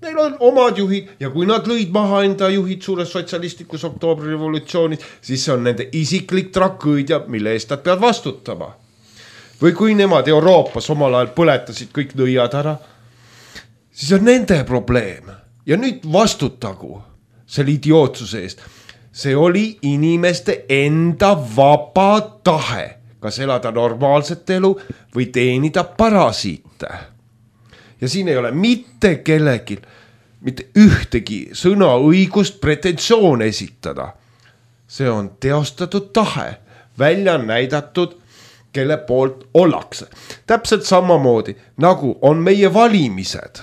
Neil on omad juhid ja kui nad lõid maha enda juhid suures sotsialistlikus oktoobri revolutsioonis, siis see on nende isiklik tragöödia, mille eest nad peavad vastutama. Või kui nemad Euroopas omal ajal põletasid kõik nõiad ära, siis on nende probleem. Ja nüüd vastutagu selle idiootsuse eest. See oli inimeste enda vaba tahe, kas elada normaalset elu või teenida parasiite. Ja siin ei ole mitte kellelgi, mitte ühtegi sõna õigust pretensioon esitada. See on teostatud tahe, välja näidatud, kelle poolt ollakse. Täpselt samamoodi, nagu on meie valimised.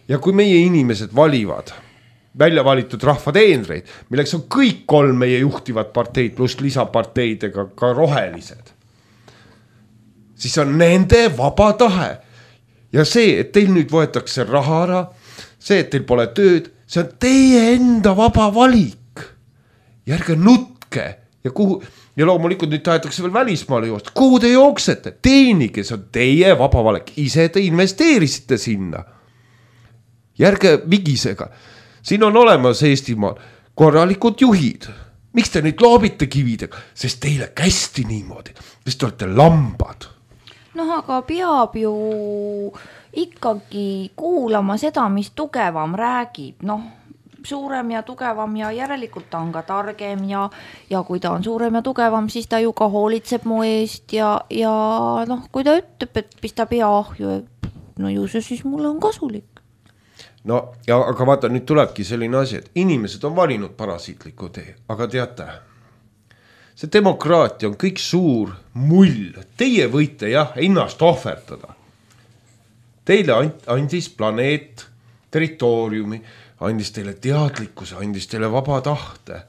Ja kui meie inimesed valivad välja valitud rahvateenreid, milleks on kõik kolm meie juhtivad parteid pluss lisaparteidega ka rohelised, siis on nende vaba tahe. Ja see, et teil nüüd võetakse raha ära, see, et teil pole tööd, see on teie enda vaba valik. ja ärge nutke ja kuhu ja loomulikult nüüd tahetakse veel välismaale joosta. Kuhu te jooksete? Teenige, see on teie vaba valik. Ise te investeerisite sinna. Järge vigisega. Siin on olemas Eestimaal korralikud juhid. Miks te nüüd loobite kividega? Sest teile kästi niimoodi. Sest te olete lambad. Noh, aga peab ju ikkagi kuulama seda, mis tugevam räägib. Noh, suurem ja tugevam ja järelikult ta on ka targem ja, ja kui ta on suurem ja tugevam, siis ta ju ka hoolitseb mu eest ja, ja noh, kui ta ütleb, et pista pea ahju, no ju see siis mulle on kasulik. No, ja, aga vaata, nüüd tulebki selline asi, et inimesed on valinud parasiitliku tee, aga teate, see demokraatia on kõik suur mull. Teie võite jah, ennast ohverdada. Teile andis planeet, territooriumi, andis teile teadlikkuse, andis teile vaba tahte,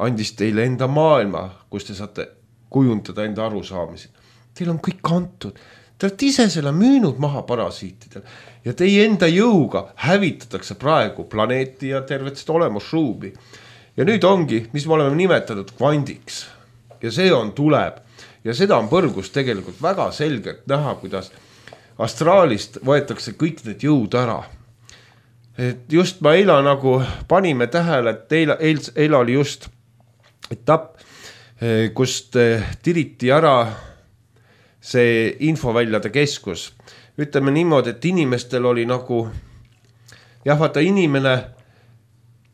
andis teile enda maailma, kus te saate kujundada enda arusaamisi. Teil on kõik antud. Te olete ise selle müünud maha parasiitidel ja teie enda jõuga hävitatakse praegu planeeti ja tervet seda olemusruumi. Ja nüüd ongi, mis me oleme nimetanud kvandiks ja see on tuleb ja seda on põrgus tegelikult väga selgelt näha, kuidas astraalist võetakse kõik need jõud ära. Et just ma eila nagu panime tähele, et eila, eila, eila oli just etapp, kust tiriti ära see infoväljade keskus. Ütleme niimoodi, et inimestel oli nagu, jah, vaata inimene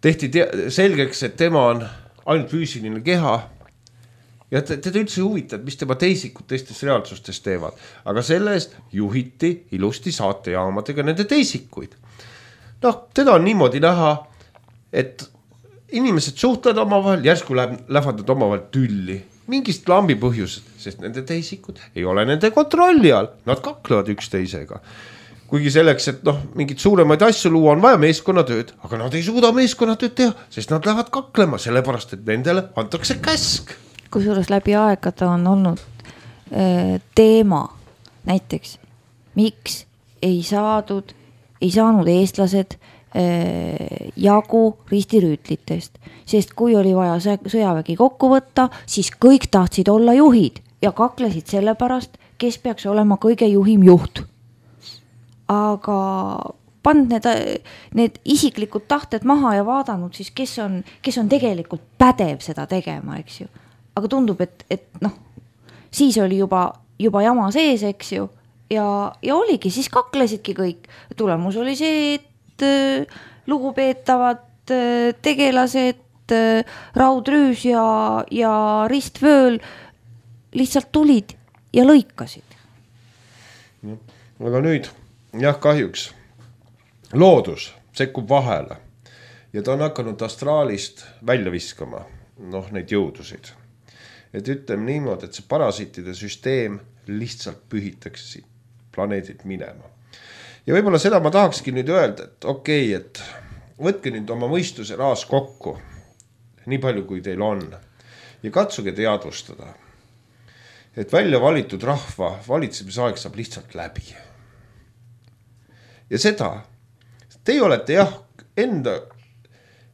tehti te- selgeks, et tema on ainult füüsiline keha ja teda üldse huvitad, mis tema teisikud teistes reaalsustes teevad. Aga selle eest juhiti ilusti saatejaamadega nende teisikuid. Noh, teda on niimoodi näha, et inimesed suhtlevad omavahel, järsku lähevad omavahel tülli. Mingist lambi põhjused, sest nende teisikud ei ole nende kontrolli all. Nad kaklevad üksteisega. Kuigi selleks, et noh, mingid suuremaid asju luua, on vaja meeskonnatööd, aga nad ei suuda meeskonnatööd teha, sest nad lähevad kaklema, sellepärast, et nendele antakse käsk. Kusjuures läbi aegade on olnud äh, teema näiteks, miks ei saadud ei saanud eestlased äh, jagu ristirüütlitest, sest kui oli vaja sõjavägi kokku võtta, siis kõik tahtsid olla juhid ja kaklesid selle pärast, kes peaks olema kõige juhim juht. Aga pand need, need isiklikud tahted maha ja vaadanud siis, kes on, kes on tegelikult pädev seda tegema, eks ju. Aga tundub, et, et noh, siis oli juba, juba jama sees, eks ju. Ja, ja oligi, siis kaklesidki kõik. Tulemus oli see, et äh, lugupeetavad äh, tegelased, äh, raudrüüs ja, ja ristvööl lihtsalt tulid ja lõikasid. Aga nüüd, jah, kahjuks loodus sekkub vahele ja ta on hakanud astraalist välja viskama, noh, neid jõudusid. Et ütleme niimoodi, et see parasiitide süsteem lihtsalt pühitakse siit planeedid minema. Ja võib-olla seda ma tahakski nüüd öelda, et okei, okay, et võtke nüüd oma mõistuse raas kokku, nii palju kui teil on, ja katsuge teadvustada, et välja valitud rahva valitsemisaeg saab lihtsalt läbi. Ja seda, teie olete jah, enda,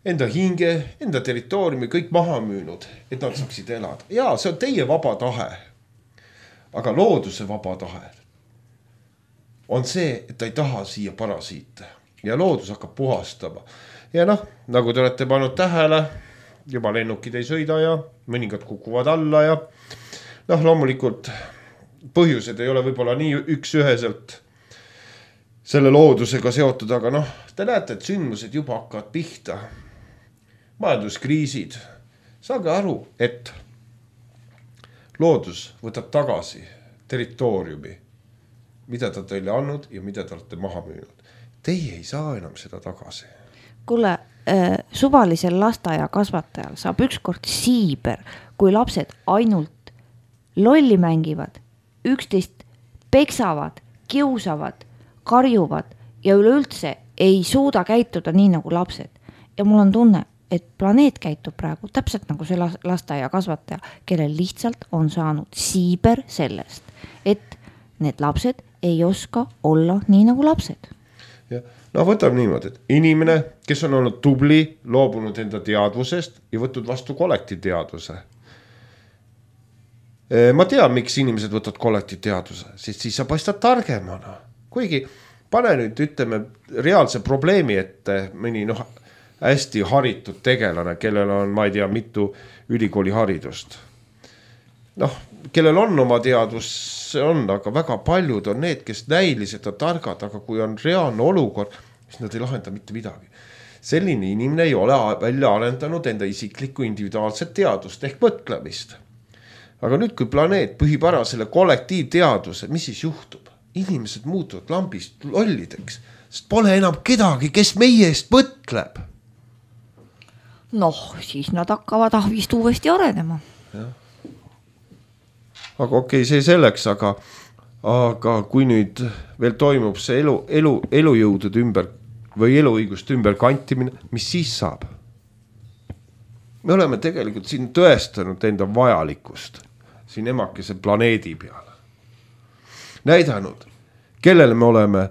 enda hinge, enda territooriumi kõik maha müünud, et nad saaksid elada. Jaa, see on teie vaba tahe, aga looduse vaba tahe on see, et ta ei taha siia parasiite ja loodus hakkab puhastama. Ja noh, nagu te olete pannud tähele, juba lennukid ei sõida ja mõningad kukuvad alla ja noh, loomulikult põhjused ei ole võib-olla nii üks üheselt selle loodusega seotud, aga noh, te näete, et sündmused juba hakkavad pihta. Majanduskriisid. Saage aru, et loodus võtab tagasi territooriumi, mida ta teile andnud ja mida te olete maha müünud. Teie ei saa enam seda tagasi. Kuule, äh, suvalisel lasteaia kasvatajal saab ükskord siiber, kui lapsed ainult lolli mängivad, üksteist peksavad, kiusavad, karjuvad ja üleüldse ei suuda käituda nii nagu lapsed. Ja mul on tunne, et planeet käitub praegu täpselt nagu see lasteaia kasvataja, kellel lihtsalt on saanud siiber sellest, et need lapsed ei oska olla nii nagu lapsed. Ja, no võtab niimoodi, et inimene, kes on olnud tubli, loobunud enda teadvusest ja võtnud vastu kollektiivteadvuse. Ma tean, miks inimesed võtavad kollektiivteadvuse, sest siis sa paistad targemana. Kuigi pane nüüd, ütleme, reaalse probleemi ette mõni noh, hästi haritud tegelane, kellel on, ma ei tea, mitu ülikooli haridust. Noh, kellel on oma teadvus, see on, aga väga paljud on need, kes näiliselt on targad, aga kui on reaalne olukord, siis nad ei lahenda mitte midagi. Selline inimene ei ole välja arendanud enda isiklikku individuaalset teadvust ehk mõtlemist. Aga nüüd, kui planeet põhib ära selle kollektiivteadvuse, mis siis juhtub? Inimesed muutuvad lambist lollideks, sest pole enam kedagi, kes meie eest mõtleb. Noh, siis nad hakkavad ahvist uuesti arenema. Ja. Aga okei, okay, see selleks, aga, aga kui nüüd veel toimub see elu, elu, elujõudude ümber või eluõigust ümber kantimine, mis siis saab? Me oleme tegelikult siin tõestanud enda vajalikkust siin emakese planeedi peale. Näidanud, kellele me oleme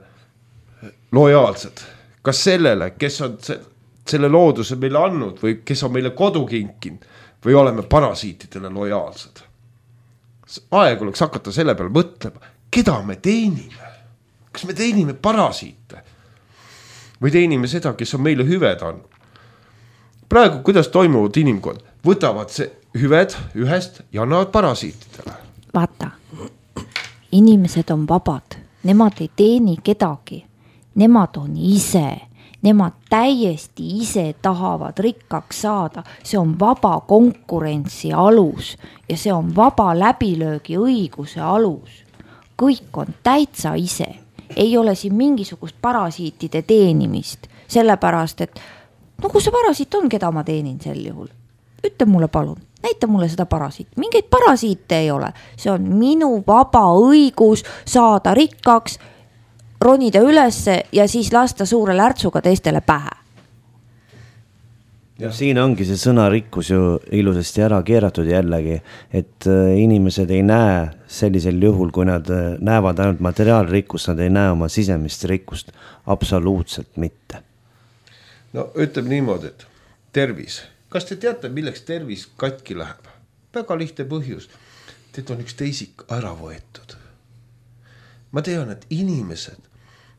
lojaalsed. Kas sellele, kes on selle looduse meile andnud või kes on meile kodu kinkinud või oleme parasiitidele lojaalsed. Aeg oleks hakata selle peale mõtlema, keda me teenime. Kas me teenime parasiite või teenime seda, kes on meile hüved andnud. Praegu, kuidas toimuvad inimkond? Võtavad see hüved ühest ja annavad parasiitidele. Vaata, inimesed on vabad, nemad ei teeni kedagi, nemad on ise, nemad täiesti ise tahavad rikkaks saada, see on vaba konkurentsi alus ja see on vaba läbilöögi õiguse alus. Kõik on täitsa ise, ei ole siin mingisugust parasiitide teenimist, sellepärast, et no kus see parasiit on, keda ma teenin sel juhul? Ütle mulle palun, näita mulle seda parasiit. Mingeid parasiite ei ole. See on minu vaba õigus saada rikkaks, ronida ülesse ja siis lasta suure lärtsuga teistele pähe. Ja siin ongi see sõna rikkus ju ilusasti ära keeratud jällegi, et inimesed ei näe sellisel juhul, kui nad näevad ainult materiaalrikkust, nad ei näe oma sisemist rikkust. Absoluutselt mitte. No ütleb niimoodi, et tervis. Kas te teate, milleks tervis katki läheb? Väga lihtne põhjus. Teet on üks teisik ära võetud. Ma tean, et inimesed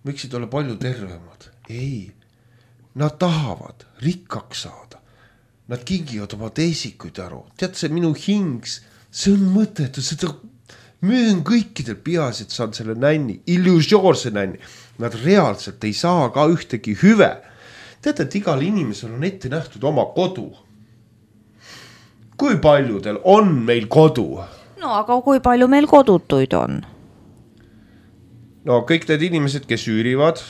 võiksid olla palju tervemad. Ei, nad tahavad rikkaks saada. Nad kingivad oma teisikuid aru. Tead, see minu hings, see on mõttetu, seda müün kõikidel peas, et saan selle nänni, illusioorse nänni. Nad reaalselt ei saa ka ühtegi hüve. Teate, et igal inimesel on ette nähtud oma kodu. Kui paljudel on meil kodu? No aga kui palju meil kodutuid on? No kõik need inimesed, kes üürivad,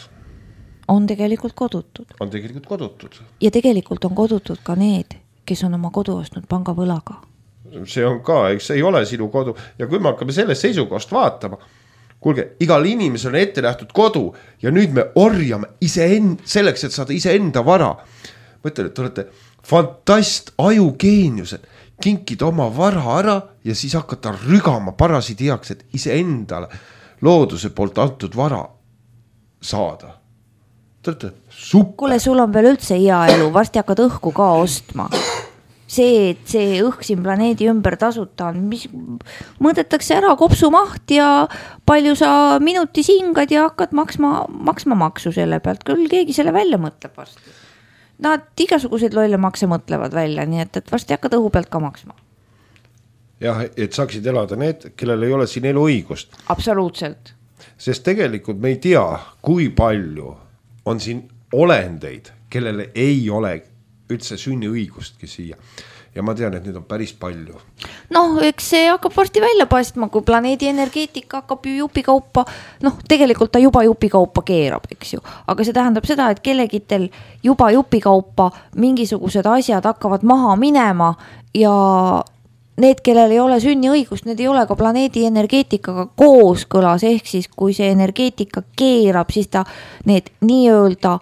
on tegelikult kodutud. On tegelikult kodutud. Ja tegelikult on kodutud ka need, kes on oma kodu ostnud pangavõlaga. See on ka, eks see ei ole sinu kodu. Ja kui me hakkame sellest seisukohast vaatama, kuulge, igal inimesel on ette nähtud kodu ja nüüd me orjame ise end, selleks, et saada ise enda vara. Mõtlen, et te olete fantast, ajugeeniused, kinkida oma vara ära ja siis hakata rügama parasiidi heaks, et ise endale looduse poolt antud vara saada. Te olete super. Kuule, sul on veel üldse hea elu, varsti hakkad õhku ka ostma. See, et see õhk siin planeedi ümber tasuta on, mis mõõdetakse ära kopsumaht ja palju sa minutis hingad ja hakkad maksma, maksma maksu selle pealt. Küll keegi selle välja mõtleb varsti. Nad igasuguseid lolle makse mõtlevad välja, nii et, et varsti hakkad õhu pealt ka maksma. Jah, et saaksid elada need, kellel ei ole siin elu õigust. Absoluutselt. Sest tegelikult me ei tea, kui palju on siin olendeid, kellele ei ole üldse sünni õigustki siia. Ja ma tean, et nüüd on päris palju. Noh, eks see hakkab varsti välja paistma, kui planeedi energeetika hakkab ju jupikaupa, noh, tegelikult ta juba jupikaupa keerab, eks ju. Aga see tähendab seda, et kellegitel juba jupikaupa mingisugused asjad hakkavad maha minema ja need, kellel ei ole sünniõigust, need ei ole ka planeedi energeetikaga kooskõlas, ehk siis kui see energeetika keerab, siis ta need nii-öelda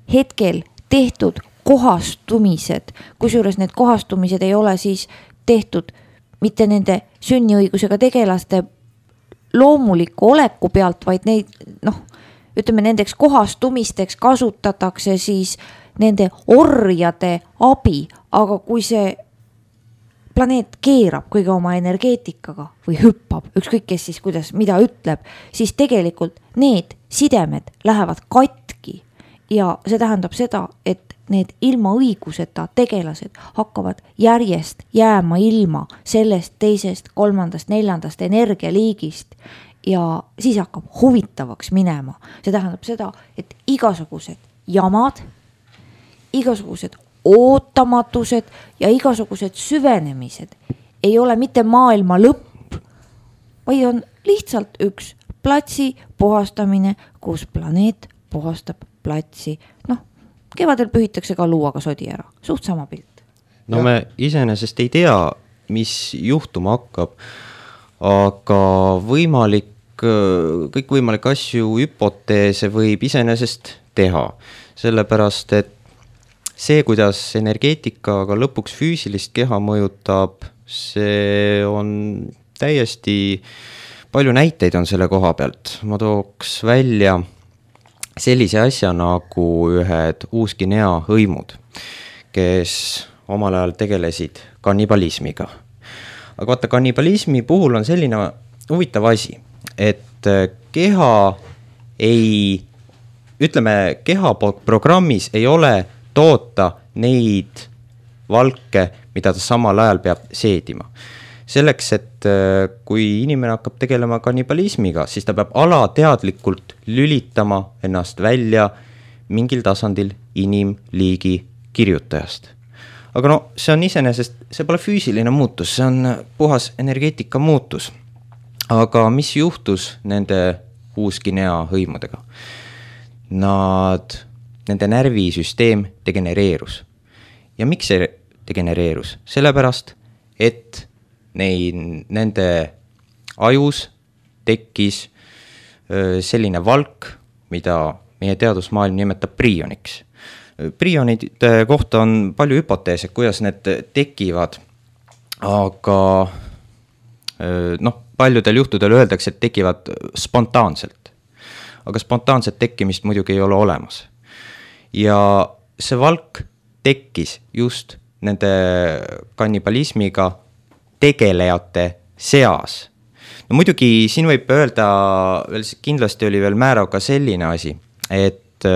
hetkel tehtud kohastumised, kusjuures need kohastumised ei ole siis tehtud mitte nende sünniõigusega tegelaste loomuliku oleku pealt, vaid neid, noh, ütleme nendeks kohastumisteks kasutatakse siis nende orjade abi, aga kui see planeet keerab kõige oma energeetikaga või hüppab, ükskõik kes siis kuidas, mida ütleb, siis tegelikult need sidemed lähevad katki ja see tähendab seda, et need ilma õiguseta tegelased hakkavad järjest jääma ilma sellest teisest, kolmandast, neljandast energialiigist ja siis hakkab huvitavaks minema. See tähendab seda, et igasugused jamad, igasugused ootamatused ja igasugused süvenemised ei ole mitte maailma lõpp, vaid on lihtsalt üks platsi puhastamine, kus planeet puhastab platsi. Noh, kevadel pühitakse ka luuaga sodi ära, suht sama pilt. No me iseenesest ei tea, mis juhtuma hakkab, aga võimalik, kõik võimalik asju hüpoteese võib iseenesest teha, sellepärast et see, kuidas energeetikaga lõpuks füüsilist keha mõjutab, see on täiesti, palju näiteid on selle koha pealt. Ma tooks välja sellise asja nagu ühed Uus-Guinea hõimud, kes omal ajal tegelesid kannibalismiga. Aga vaata, kannibalismi puhul on selline huvitav asi, et keha ei, ütleme, keha programmis ei ole toota neid valke, mida ta samal ajal peab seedima. Selleks, et kui inimene hakkab tegelema kannibalismiga, siis ta peab alateadlikult lülitama ennast välja mingil tasandil inimliigi kirjutajast. Aga no, see on iseenesest, see pole füüsiline muutus, see on puhas energeetika muutus. Aga mis juhtus nende Uus-Guinea hõimudega? Nad nende närvisüsteem degenereerus. Ja miks see degenereerus? Sellepärast, et neid, nende ajus tekkis selline valk, mida meie teadusmaailm nimetab prioniks. Prionide kohta on palju hüpoteese, kuidas need tekivad, aga noh, paljudel juhtudel öeldakse, et tekivad spontaanselt. Aga spontaanset tekkimist muidugi ei ole olemas. Ja see valk tekkis just nende kannibalismiga tegelejate seas. No muidugi siin võib öelda, kindlasti oli veel määrav ka selline asi, et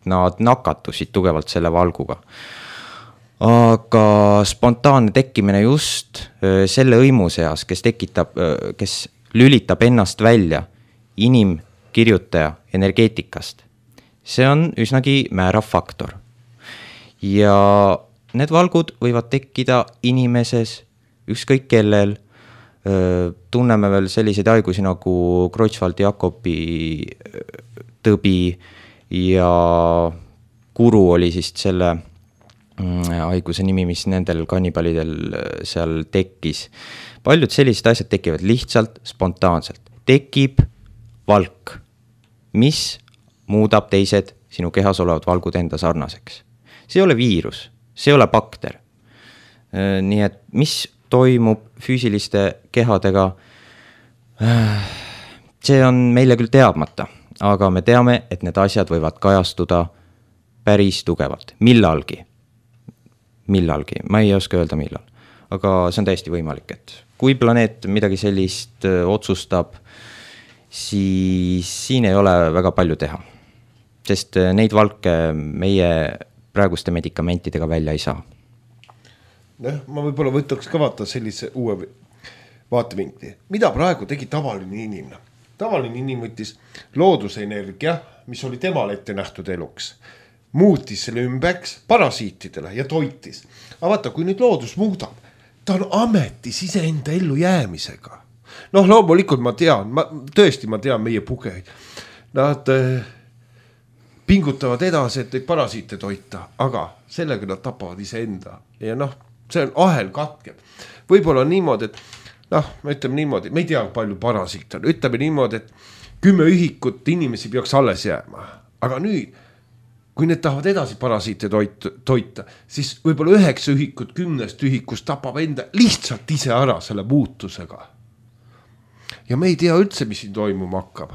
nad nakatusid tugevalt selle valguga. Aga spontaanne tekkimine just selle hõimu seas, kes tekitab, kes lülitab ennast välja inimkirjutaja energeetikast. See on üsnagi määrav faktor. Ja need valgud võivad tekkida inimeses, ükskõik kellel. Tunneme veel selliseid haigusi nagu Creutzfeldt-Jakobi tõbi ja kuru oli siis selle haiguse nimi, mis nendel kannibalidel seal tekkis. Paljud sellised asjad tekivad lihtsalt spontaanselt. Tekib valk, mis muudab teised sinu kehas olevad valgud enda sarnaseks. See ei ole viirus, see ei ole bakter. Nii et mis toimub füüsiliste kehadega, see on meile küll teadmata, aga me teame, et need asjad võivad kajastuda päris tugevalt. Millalgi, millalgi, ma ei oska öelda millal, aga see on täiesti võimalik, et kui planeet midagi sellist otsustab, siis siin ei ole väga palju teha. Sest neid valke meie praeguste medikamentidega välja ei saa. Noh, ma võib-olla võtaks ka vaata sellise uue vaatevinkli. Mida praegu tegi tavaline inimene? Tavaline inimene võttis loodusenergia, mis oli temale ette nähtud eluks, muutis selle ümbeks parasiitidele ja toitis. Aga vaata, kui nüüd loodus muudab, ta on ametis iseenda ellu jäämisega. Noh, loomulikult ma tean, ma, tõesti ma tean meie pugeid. Nad pingutavad edasi, et neid parasiite toita, aga sellega nad tapavad iseenda. Ja noh, see on ahel katkeb. Võib-olla on niimoodi, et noh, me ütleme niimoodi, me ei tea palju parasiit on. Ütleme niimoodi, et kümme ühikut inimesi peaks alles jääma. Aga nüüd, kui need tahavad edasi parasiite toita, siis võib-olla üheksa ühikut kümnest ühikust tapab enda lihtsalt ise ära selle muutusega. Ja me ei tea üldse, mis siin toimuma hakkab.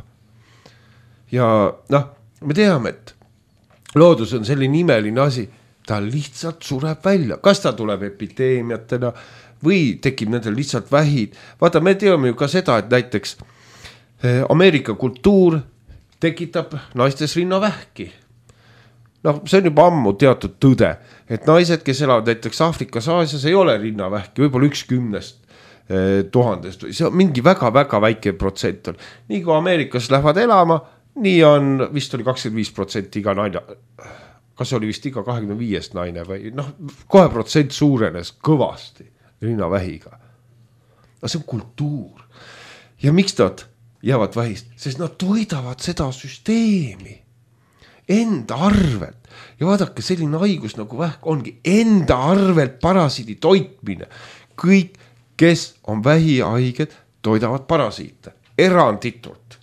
ja noh, me teame, et loodus on selline imeline asi, ta lihtsalt sureb välja, kas ta tuleb epideemiatena või tekib nendel lihtsalt vähid. Vaata, me teame ju ka seda, et näiteks Ameerika kultuur tekitab naistes rinnavähki. Noh, see on juba ammu teatud tõde, et naised, kes elavad näiteks Aafrikas, Aasias, ei ole rinnavähki, võib-olla üks kümnest eh, tuhandest, see on mingi väga-väga väike protsent on. Nii kui Ameerikas lähevad elama, nii on, vist oli kakskümmend viis protsenti iga naine, kas oli vist iga kahekümne viiest naine või noh, kohe protsent suurenes kõvasti rinnavähiga. No see on kultuur. Ja miks nad jäävad vähist? Sest nad toidavad seda süsteemi enda arvelt. Ja vaadake, selline haigus nagu vähk ongi enda arvelt parasiidi toitmine. Kõik, kes on vähihaiged, toidavad parasiite. Eranditult.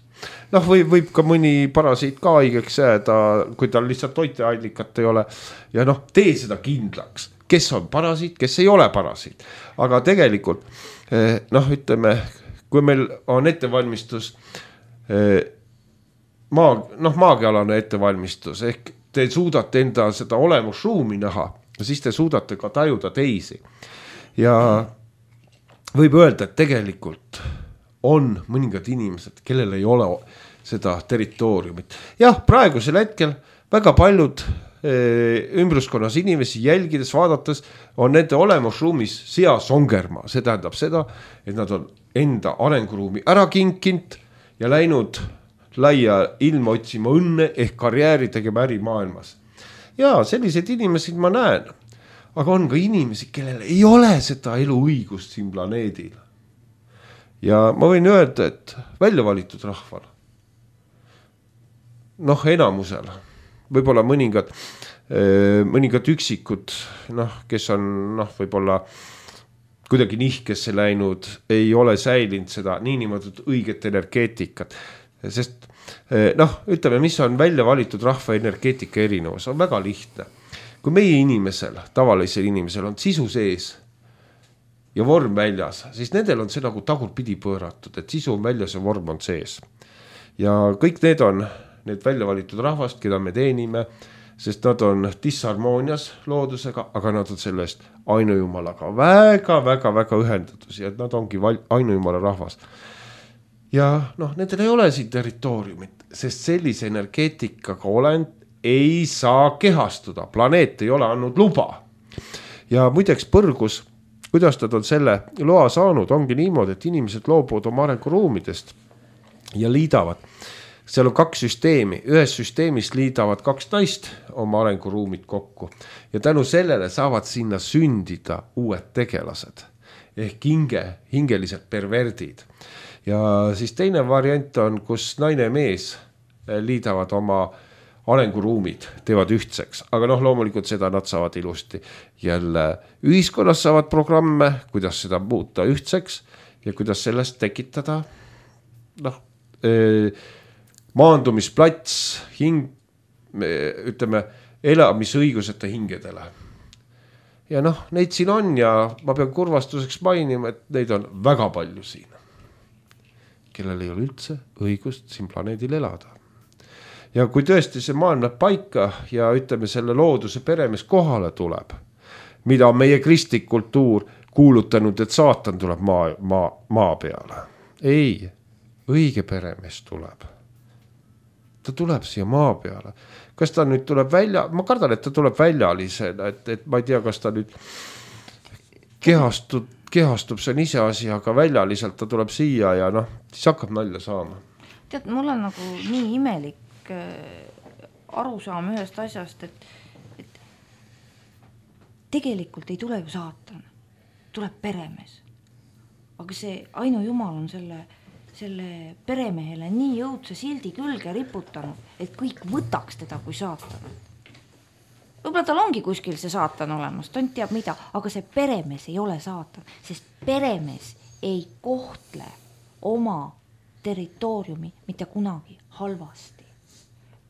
Noh, või võib ka mõni parasiit ka haigeks jääda, kui tal lihtsalt toiteallikat ei ole. Ja noh, tee seda kindlaks. Kes on parasiit, kes ei ole parasiit. Aga tegelikult, noh, ütleme, kui meil on ettevalmistus maa, noh, maagialane ettevalmistus, ehk te suudate enda seda olemusruumi näha, siis te suudate ka tajuda teisi. Ja võib öelda, et tegelikult on mõningad inimesed, kellel ei ole seda territooriumit. Jah, praegusel hetkel väga paljud ümbruskonnas inimesi jälgides, vaadates on nende olemusruumis seasongerma. See tähendab seda, et nad on enda arenguruumi ära kinkinud ja läinud laia ilma otsima õnne ehk karjääri tegema ärimaailmas. Ja sellised inimesed ma näen, aga on ka inimesi, kellel ei ole seda eluõigust siin planeedil. Ja ma võin öelda, et välja valitud rahval, noh, enamusel, võib-olla mõningad, mõningad üksikud, noh, kes on, noh, võib-olla kuidagi nihkesse läinud, ei ole säilinud seda niinimetatud õiget energeetikat. Sest, noh, ütleme, mis on välja valitud rahva energeetika erinevus, on väga lihtne. Kui meie inimesel, tavalisel inimesel on sisu sees ja vorm väljas, siis nendel on see nagu tagurpidi pööratud, et sisu on väljas ja vorm on sees. Ja kõik need on need välja valitud rahvast, keda me teenime, sest nad on disharmoonias loodusega, aga nad on sellest ainujumalaga väga-väga-väga ühendatus ja nad ongi ainujumala rahvas. Ja noh, nendel ei ole siin territooriumit, sest sellise energeetikaga olend ei saa kehastuda. Planeet ei ole andnud luba. Ja muideks põrgus, kuidas nad on selle loa saanud, ongi niimoodi, et inimesed loobuvad oma arenguruumidest ja liidavad. Seal on kaks süsteemi, ühes süsteemis liidavad kaks naist oma arenguruumid kokku ja tänu sellele saavad sinna sündida uued tegelased ehk hinge, hingelised perverdid. Ja siis teine variant on, kus naine ja mees liidavad oma arenguruumid, teevad ühtseks, aga noh, loomulikult seda nad saavad ilusti. Jälle ühiskonnas saavad programme, kuidas seda muuta ühtseks ja kuidas sellest tekitada, noh, maandumisplats, hing, ütleme, elamisõiguseta hingedele. Ja noh, neid siin on ja ma pean kurvastuseks mainima, et neid on väga palju siin, kellel ei ole üldse õigust siin planeedil elada. Ja kui tõesti see maailm läheb paika ja ütleme, selle looduse peremees kohale tuleb, mida on meie kristlik kultuur kuulutanud, et saatan tuleb maa, maa, maa peale. Ei, õige peremees tuleb. Ta tuleb siia maa peale. Kas ta nüüd tuleb välja, ma kardan, et ta tuleb väljalisena, et, et ma ei tea, kas ta nüüd kehastub, kehastub, see on ise asi, aga väljaliselt ta tuleb siia ja noh, siis hakkab nalja saama. Tead, mul on nagu nii imelik aru saama ühest asjast, et, et tegelikult ei tule ju saatan, tuleb peremees. Aga see ainu jumal on selle selle peremehele nii jõudse sildi külge riputanud, et kõik võtaks teda kui saatan. Võib-olla tal ongi kuskil see saatan olemas, tont teab mida, aga see peremees ei ole saatan, sest peremees ei kohtle oma territooriumi mitte kunagi halvasti.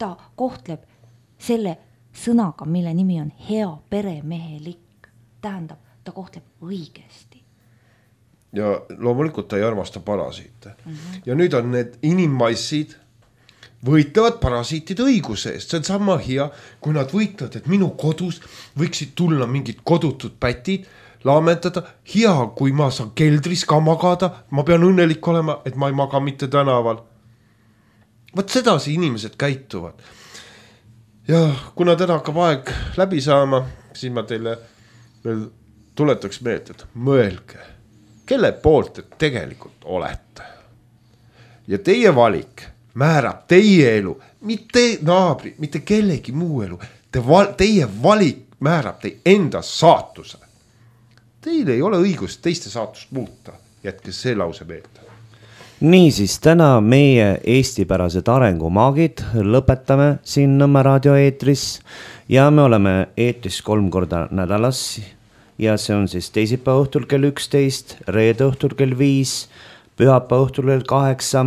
Ta kohtleb selle sõnaga, mille nimi on hea peremehelik. Tähendab, ta kohtleb õigesti. Ja loomulikult ta ei armasta parasiite. Mm-hmm. Ja nüüd on need inimmassid, võitlevad parasiitide õiguse eest, see on sama hea, kui nad võitlevad, et minu kodus võiksid tulla mingid kodutud pätid, laamendada, hea, kui ma saan keldris ka magada, ma pean õnnelik olema, et ma ei maga mitte tänaval. Võt sedasi inimesed käituvad. Ja kuna täna hakkab aeg läbi saama, siis ma teile veel tuletaks meelde, et mõelge, kelle poolt te tegelikult olete. Ja teie valik määrab teie elu, mitte naabri, mitte kellegi muu elu. Te val, teie valik määrab teie enda saatuse. Teil ei ole õigust teiste saatust muuta. Jätke see lause meelde. Niisiis, täna meie eestipärased arengumaagid lõpetame siin Nõmme raadio eetris ja me oleme eetris kolm korda nädalas ja see on siis teisipäeva õhtul kell üksteist, reede õhtul kell viis, pühapäeva õhtul kell kaheksa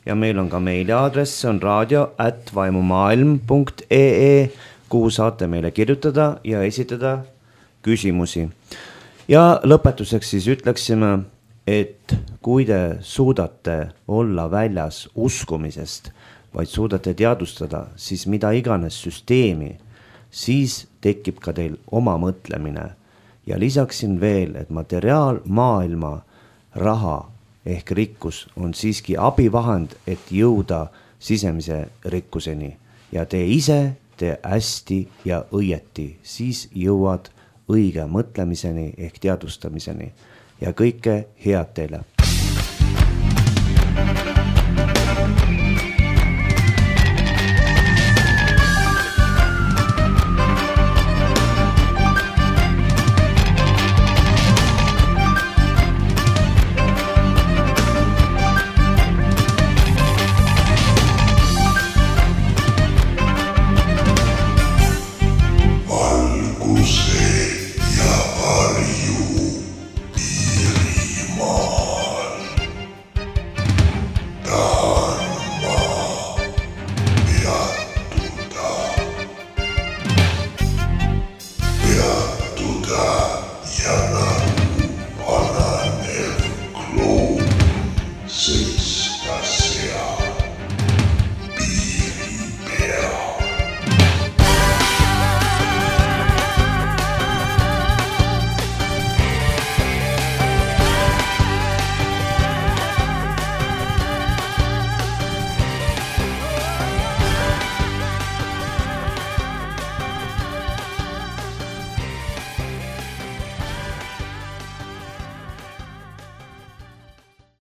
ja meil on ka meiliaadress, see on raadio at vaimumaailm punkt ee, kuhu saate meile kirjutada ja esitada küsimusi. Ja lõpetuseks siis ütleksime, et kui te suudate olla väljas uskumisest, vaid suudate teadustada, siis mida iganes süsteemi, siis tekib ka teil oma mõtlemine. Ja lisaksin veel, et materiaalmaailma raha ehk rikkus on siiski abivahend, et jõuda sisemise rikkuseni. Ja te ise tee hästi ja õieti, siis jõuad õige mõtlemiseni ehk teadvustamiseni ja kõike head teile.